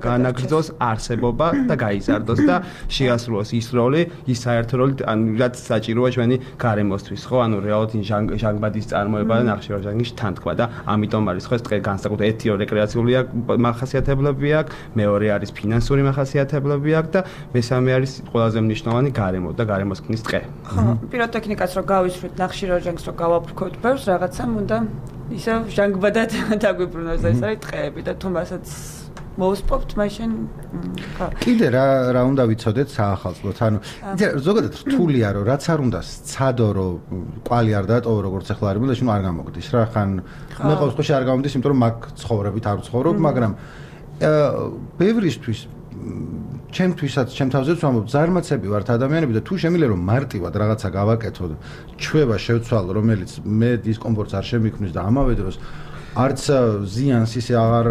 განაგრძოს არსებობა და გაიზარდოს და შეასრულოს ის როლი, ის საერთო როლი, ან რაც საჭიროა ჩვენი გარემოსთვის, ხო? ანუ რეალურად ჟანგბადის წარმოება და ნახშირორჟანგის თანთქვა და ამიტომ არის ხო ეს დღე განსაკუთრებით ერთი რეკრეაციული მახასიათებლები აქვს, მეორე არის ფინანსური მახასიათებლები აქვს და მესამე არის ყველაზე მნიშვნელოვანი გარემო და გარემოს ქმნის დღე. ხო, პიროტექნიკას რო გავისვრით, ნახშირორჟანგს რო გავაფრქვევთ, ბევრს რაღაცამ უნდა ისე ჟანგბადად დაგვიბრუნოს ეს არის ტყეები და თუ მასაც მოусპობთ მაშინ ხო კიდე რა რა უნდა ვიცოდეთ საახალწლოდ, ანუ ზოგადად რთულია რომ რაც არ უნდა სცადო რომ კვალი არ დატოვო როგორც ახლა არის, და შენ არ გამოგდის რა, ხან მე ყოველ შემთხვევაში არ გამომდის, იმიტომ რომ მაგ ცხოვრებით არ ვცხოვრობ, მაგრამ ბევრისთვის ჩემთვისაც ჩემ თავზეც ვამბობ, ზარმაცები ვართ ადამიანები და თუ შემიძლია რომ მარტივად რაღაცა გავაკეთო, ჩვევა შევცვალო, რომელიც მე დისკომფორტს არ შემიქმნის და ამავე დროს არც ზიანს ისე აღარ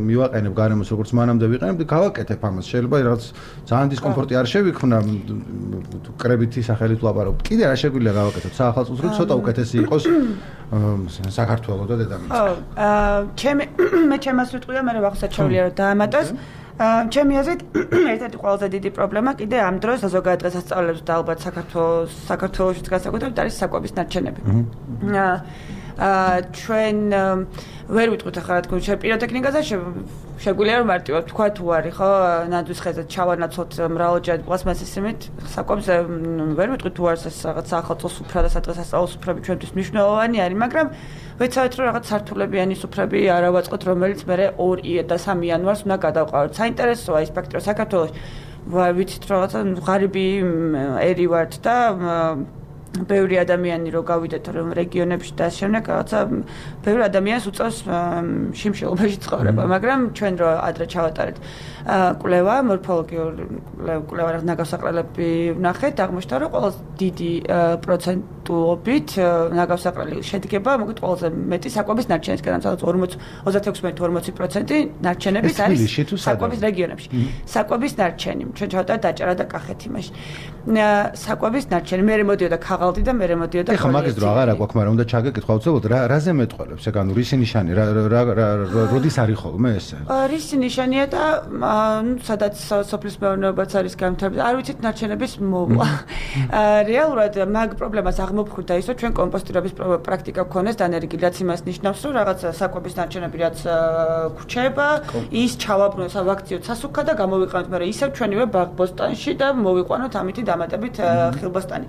მივაყენებ გარემოს როგორც მანამდე ვიყენებ და გავაკეთებ ამას. შეიძლება რაღაც ძალიან დისკომფორტი არ შევიქმნა კრებითი სახელით ვლაპარაკობ. კიდე რა შეგვიძლია გავაკეთოთ საახალწლოდ, რომ ცოტა უკეთესი იყოს საქართველოს და დედამიწა. ხო, ჩემი მე ჩემას ვიტყვი და მე ვახსოვს შეგვიძლია რომ დაამატოს. ჩემი აზრით ერთ-ერთი ყველაზე დიდი პრობლემა კიდე ამ დროს ზოგადად დღესასწაულებს და ალბათ საქართველოს საქართველოშიც განსაკუთრებით არის საკვების ნარჩენები. აა ჩვენ ვერ ვიტყვით ახლა რა თქმა უნდა პიროტექნიკაზე შეგვიძლია რომ მარტივად თქვა თუ არის ხო ნაძვის ხეზე ჩავანაცვლოთ მრავალჯერადი პლასმასის სიმით საკვებზე ვერ ვიტყვით თუ არის ეს რაღაც ახალწლო სუფრა და სადღესასწაულო სუფრები ჩვენთვის მნიშვნელოვანი არის, მაგრამ ვეცადეთ რომ რაღაც სართულებიანი სუფრები არ ავაწყოთ, რომელიც მე ორი და სამი იანვარს უნდა გადავყავოთ. საინტერესოა ის ფაქტი რომ საქართველოს ვიცით რაღაცა ღარიბი ერი ვართ და ბევრი ადამიანი რო გავიდეთ რომ რეგიონებში და შემდეგ რაღაცა ბევრი ადამიანს უწევს შიმშილობაში ცხოვრება, მაგრამ ჩვენ რო ადრე ჩავატარეთ კვლევა, მორფოლოგიური კვლევა ნაგავსაყრელები ვნახეთ, აღმოჩნდა რომ ყველაზე დიდი პროცენტულობით ნაგავსაყრელი შედგება, მოკლედ ყველაზე მეტი საკვების ნარჩენისგან, სადაც ოცდაექვსი თუ ორმოცი პროცენტი ნარჩენების არის საკვების რეგიონებში. საკვების ნარჩენი, ჩვენ ჩავატარეთ დაჭერა და კახეთი მაშინ. საკვების ნარჩენი, მე მოდიოდა ქაღალდი წაყალდი და მე მოდიოდა ეხლა მაგის დრო აღარ აქვს, მაგრამ უნდა ჩაგეკითხვა უცებოდ რა რაზე მეტყველებს ეგ ანუ რისი ნიშანი რა როდის არის ხოლმე ესე? რისი ნიშანია და ნუ სადაც სოფლის მეურნეობაც არის განვითარებული, არ ვიცით ნარჩენების მოვლა. რეალურად მაგ პრობლემას აღმოფხვდა ისო ჩვენ კომპოსტირების პრაქტიკა გქონდეს დანერგი, რაც იმას ნიშნავს, რომ რაღაც საკვების ნარჩენები რაც გვჩება, ის ჩავაბრუნოთ სავაქციო სასუქა და გამოვიყენოთ, მაგრამ ისევ ჩვენივე ბაღბოსტანში და მოვიყვანოთ ამითი დამატებით ხილბოსტანი.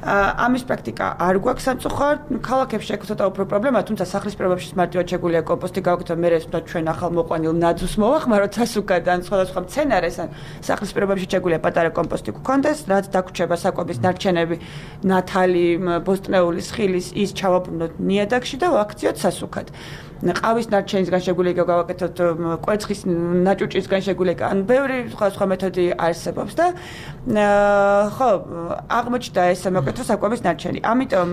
ამის პრაქტიკა არ გვაქვს სამწუხაროდ, ქალაქებში აქვს ცოტა უფრო პრობლემა, თუმცა სახლის პირობებში მარტივად შეგვიძლია კომპოსტი გავაკეთოთ, მე ეს ჩვენ ახალ მოყვანილ ნაძვს მოვახმაროთ სასუქად ან სხვადასხვა მცენარეს ან სახლის პირობებში შეგვიძლია პატარა კომპოსტი გქონდეს, რაც დაგვრჩება საკვების ნარჩენები, ნათალი, ბოსტნეულის, ხილის, ის ჩავაბრუნოთ ნიადაგში და ვაქციოთ სასუქად. ყავის ნარჩენისგან შეგვიძლია გავაკეთოთ, კვერცხის ნაჭუჭისგან შეგვიძლია, ან ბევრი სხვა სხვა მეთოდი არსებობს და ხო, აღმოჩნდა ეს მოკეთო საკვების ნარჩენი. ამიტომ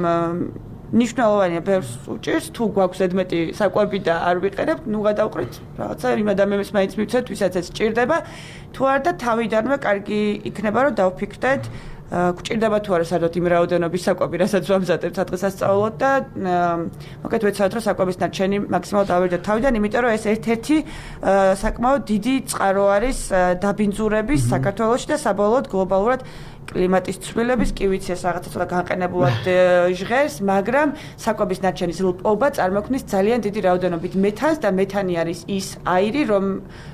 ნიშნულოვანია ბევრს უჭირს, თუ გვაქვს ზედმეტი საკვები და არ ვიყენებთ, ნუ გადავყრით რაღაცა იმ ადამიანებს მაინც მივცეთ, ვისაც ეს სჭირდება, თუ არა და თავიდანვე კარგი იქნება, რომ დავფიქრდეთ გვჭირდება თუ არა საერთოდ იმ რაოდენობის საკვები, რასაც ვამზადებთ სადღესასწაულოდ და მოკეთ ვეცადოთ, რომ საკვების ნარჩენი მაქსიმალურად ავერდოთ თავიდან, იმიტომ რომ ეს ერთ-ერთი საკმაოდ დიდი წყარო არის დაბინძურების საქართველოში და საბოლოოდ გლობალურად კლიმატის ცვლილების კი ვიცი ეს რაღაცა ცოტა განყენებულად ჟღერს, მაგრამ საკვების ნარჩენის ლპობა წარმოქმნის ძალიან დიდი რაოდენობით მეთანს და მეთანი არის ის აირი, რომ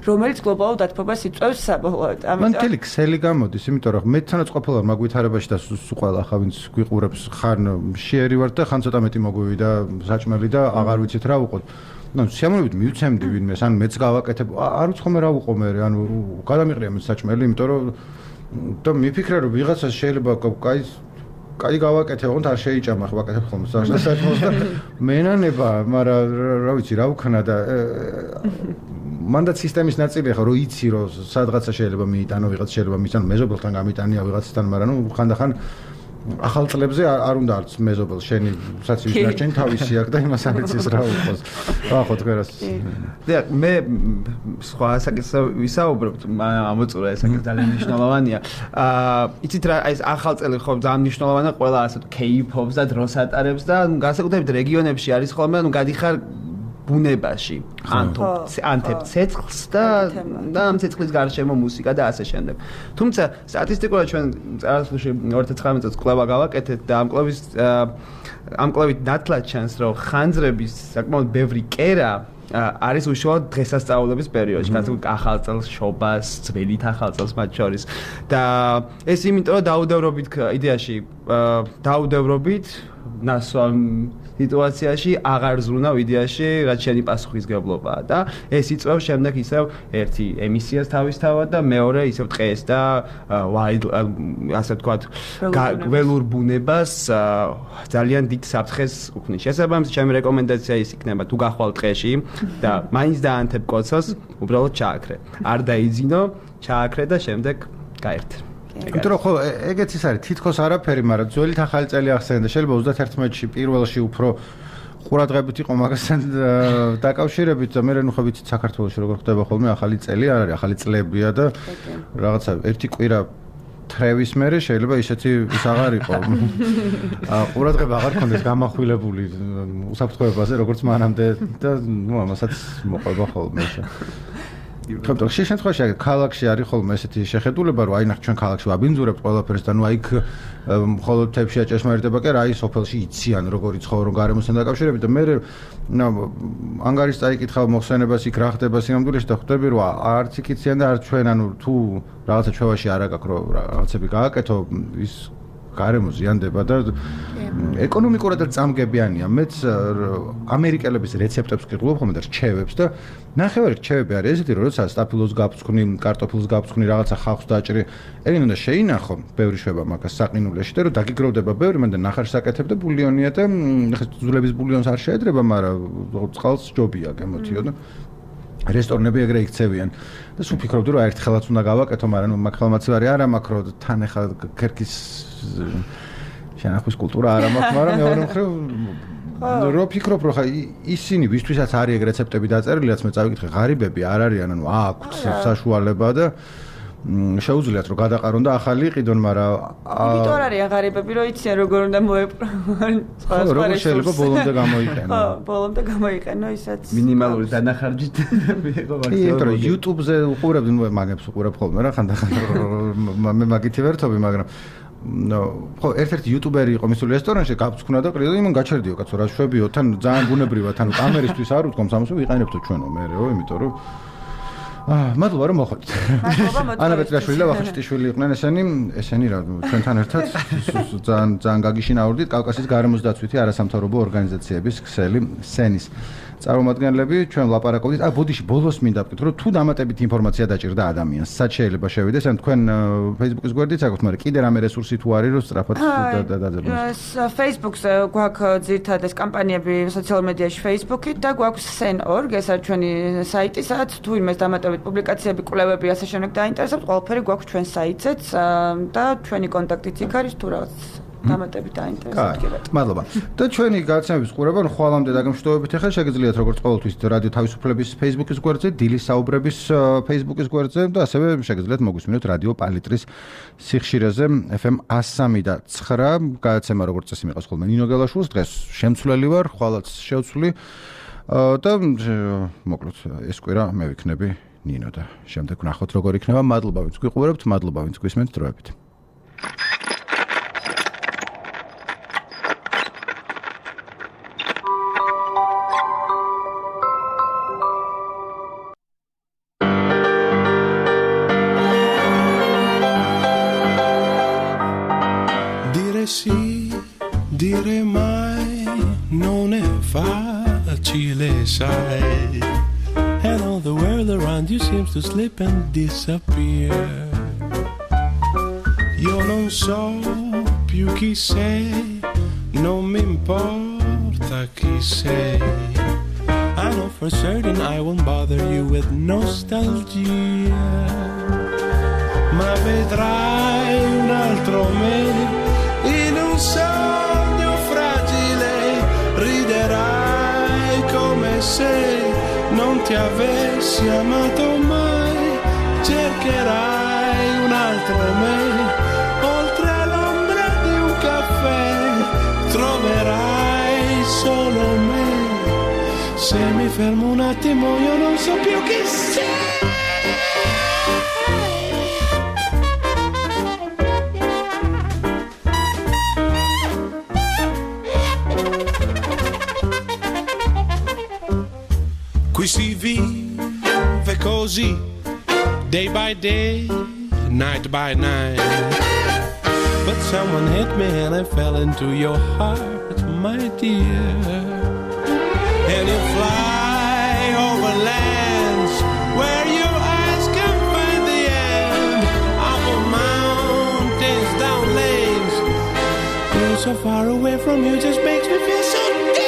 რომელიც გლობალურ დათბობას იწვევს საბოლოოდ. ამიტომ მან თელი ქსელი გამოდის, იმიტომ რომ მეთანაც ყოფილა მაგ ვითარებაში და სულ ყველა ხა ვინც გვიყურებს ხან შეერი ვართ და ხან ცოტა მეტი მოგვივი და საჭმელი და აღარ ვიცით რა ვუყოთ. ну სიამოვნებით მივცემდი ვინმეს, ან მეც გავაკეთებ, არ უცხომე რა ვუყო მე, ანუ გადამიყრია მე საჭმელი, იმიტომ რომ და მიფიქრე რომ ვიღაცას შეიძლება კაი კაი გავაკეთე, ოღონდ არ შეიჭამა ხო ვაკეთებ ხოლმე საჭმელს და მენანება, მაგრამ რა ვიცი რა ვქნა და მანდაც სისტემის ნაწილია ხო რომ იცი რომ სადღაცა შეიძლება მიიტანო ვიღაც შეიძლება მისან მეზობელთან გამიტანია ვიღაცთან, მაგრამ ნუ ხანდახან ახალ წლებზე არ უნდა არც მეზობელ შენი საცივის ნარჩენი თავისი აქვს და იმას არ იცის რა უყოს. ახო თქვენას. და მე სხვა საკითხზე ვისაუბრებ, ამოწურა ეს საკითხი ძალიან მნიშვნელოვანია. აა იცით რა ეს ახალ წელი ხო ძალიან მნიშვნელოვანია, ყველა ასე კეიფობს და დროს ატარებს და განსაკუთრებით რეგიონებში არის ხოლმე, ანუ გადიხარ ბუნებაში, ანთებ ცეცხლს და და ამ ცეცხლის გარშემო მუსიკა და ასე შემდეგ. თუმცა სტატისტიკურად ჩვენ წარსულში ორი ათი ცხრამეტ წელს კვლევა გავაკეთეთ და ამ კვლევის ამ კვლევით ნათლად ჩანს, რომ ხანძრების საკმაოდ ბევრი კერა არის უშუალოდ დღესასწაულების პერიოდში, განსაკუთრებით ახალ წელს, შობას, ძველი ახალ წელს მათ შორის. და ეს იმიტომ რომ დაუდევრობით იდეაში დაუდევრობით ნასვამ სიტუაციაში აღარ ზრუნავ იდეაში, რაც შენი პასუხისგებლობაა და ეს იწვევს შემდეგ ისევ ერთი ემისიას თავისთავად და მეორე ისევ ტყეს და ასე ვთქვათ გველურ ბუნებას ძალიან დიდ საფრთხეს უქმნის. შესაბამისად, ჩემი რეკომენდაცია ის იქნება, თუ გახვალ ტყეში და მაინც დაანთებ კოცოს, უბრალოდ ჩააქრე. არ დაიძინო, ჩააქრე და შემდეგ გაერთე. იმიტომ რომ ხო ეგეც ის არის თითქოს არაფერი, მაგრამ ძველით ახალი წელი ახსენდა, შეიძლება ოცდაათერთმეტში პირველში უფრო ყურადღებით იყო მაგასთან დაკავშირებით და მე ნუ ხო ვიცით საქართველოში როგორ ხდება ხოლმე ახალი წელი, არ არის ახალი წლებია და რაღაცა ერთი კვირა თრევის მერე შეიძლება ისეთი ის აღარ იყო. ყურადღება აღარ ქონდეს გამახვილებული უსაფრთხოებაზე, როგორც მანამდე და ნუ ამასაც მოყვება ხოლმე. თუმცა ხშირ შემთხვევაში ქალაქში არის ხოლმე ესეთი შეხედულება, რომ აი ნახ ჩვენ ქალაქში ვაბინძურებთ ყველაფერს და ნუ აი მხოლოდ თებში აჭეშმარიტება კი რა, აი სოფელში იციან როგორი ცხოვრობ გარემოსთან დაკავშირებით და მე ანგარის წაიკითხავ მოხსენებას იქ რა ხდება სინამდვილეში და ხვდები რომ არც იქ იციან და არც ჩვენ ანუ თუ რაღაცა ჩვევაში არ აქვს რომ რაღაცები გააკეთო ის გარემო ზიანდება და ეკონომიკურად წამგებიანია. მეც ამერიკელების რეცეპტებს ვკითხულობ ხოლმე და რჩევებს და ნახევარი რჩევები არის ესეთი, რომ როცა სტაფილოს გაფრთხვნი, კარტოფილს გაფრთხვნი, რაღაცა ხალხს დაჭრი, ეგენ უნდა შეინახო, ბევრი შვება მაგას საყინულეში და რომ დაგიგროვდება ბევრი, მანდ ნახარს აკეთებ და ბულიონია და ხა ძვლების ბულიონს არ შეედრება, მაგრამ წყალს ჯობია გემოთიო და რესტორნები ეგრე იქცევიან და სულ ფიქრობდი რომ ერთხელაც უნდა გავაკეთო, მაგრამ ნუ მაგ ხელმაცივარი არ მაქვს, რომ თან ახლა ქერქის შენახვის კულტურა არ მაქვს, მაგრამ მეორე მხრივ რო ფიქრობ რომ ხა ისინი ვისთვისაც არის ეგ რეცეპტები დაწერილი, რაც მე წავიკითხე, ღარიბები არ არიან, ანუ აქვთ საშუალება და შეუძლიათ რომ გადაყარონ და ახალი იყიდონ, მაგრამ იმიტომ არ არის ღარიბები, რომ იციან როგორ უნდა მოეპყრო. სხვა სხვა შეიძლება ბოლომდე გამოიყენო. ხო, ბოლომდე გამოიყენო ისაც. მინიმალური დანახარჯით მიიღო მაქსიმუმ. იმიტომ რომ YouTube-ზე უყურებდი, ნუ მაგებს უყურებ ხოლმე რა, ხანდახან მე მაგითი ვერთობი, მაგრამ ნო, ხო, ერთ-ერთი იუტუბერი იყო მისული რესტორანში, გაფცქნა და ყრიდა, იმან გაჩერდიო, კაცო, რა შვებიო, თან ძალიან ბუნებრივად, ანუ კამერისთვის არ უთქვამს ამას, ვიყენებთო ჩვენო მეეო, იმიტომ რომ აა, მადლობა რომ მოხვდით. ანა პეტრაშვილი და ვახუშტიშვილი იყვნენ ესენი, ესენი რა, ჩვენთან ერთად ძალიან ძალიან გაგიშინაურდით კავკასიის გარემოს დაცვითი არასამთავრობო ორგანიზაციების ქსელი სენის წარმომადგენლები, ჩვენ ვლაპარაკობდით. აა, ბოდიში, ბოლოს მინდა ვკითხო, რომ თუ დამატებით ინფორმაცია დაჭირდა ადამიანს, სად შეიძლება შევიდეს, ან თქვენ Facebook-ის გვერდით აქვთ, მაგრამ კიდე რამე რესურსი თუ არის, რომ სწრაფად დაძებნოს. Facebook-ზე გვაქვს ძირითადად კამპანიები სოციალურ მედიაში Facebook-ით და გვაქვს სენ ორ გ, ეს არის ჩვენი საიტი, სადაც თუ იმეს დამატებით პუბლიკაციები, კვლევები, ასე შემდეგ დაინტერესებთ, ყველაფერი გვაქვს ჩვენ საიტზეც და ჩვენი კონტაქტიც იქ არის, თუ რაღაც დამატებით დაინტერესებთ კიდე. მადლობა. და ჩვენი გაცემების ყურება ხვალამდე დაგემშვიდობებით ახლა შეგიძლიათ როგორც ყოველთვის რადიო თავისუფლების Facebook-ის გვერდზე, დილის საუბრების Facebook-ის გვერდზე და ასევე შეგიძლიათ მოგვისმინოთ რადიო პალიტრის სიხშირეზე F M one oh three და nine. გაცემა როგორც წესი მიყავს ხოლმე ნინო გელაშვილს, დღეს შემცვლელი ვარ, ხვალაც შევცვლი და მოკლედ ეს კვირა მე ვიქნები ნინო და შემდეგ ვნახოთ როგორ იქნება. მადლობა ვინც გვიყურებთ, მადლობა ვინც გვისმენთ დროებით. Sì, dire mai non è facile, sai. And all the world around you seems to slip and disappear. Io non so più chi sei, non mi importa chi sei. I know for certain I won't bother you with nostalgia. Ma vedrai un altro me in un sogno fragile, riderai come se non ti avessi amato mai, cercherai un altro me, oltre l'ombra di un caffè, troverai solo me, se mi fermo un attimo io non so più chi sei. Qui si vive così, day by day, night by night. But someone hit me and I fell into your heart, my dear. And you fly over lands where your eyes can find the end. Over mountains, down lanes. Being so far away from you just makes me feel so dead.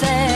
say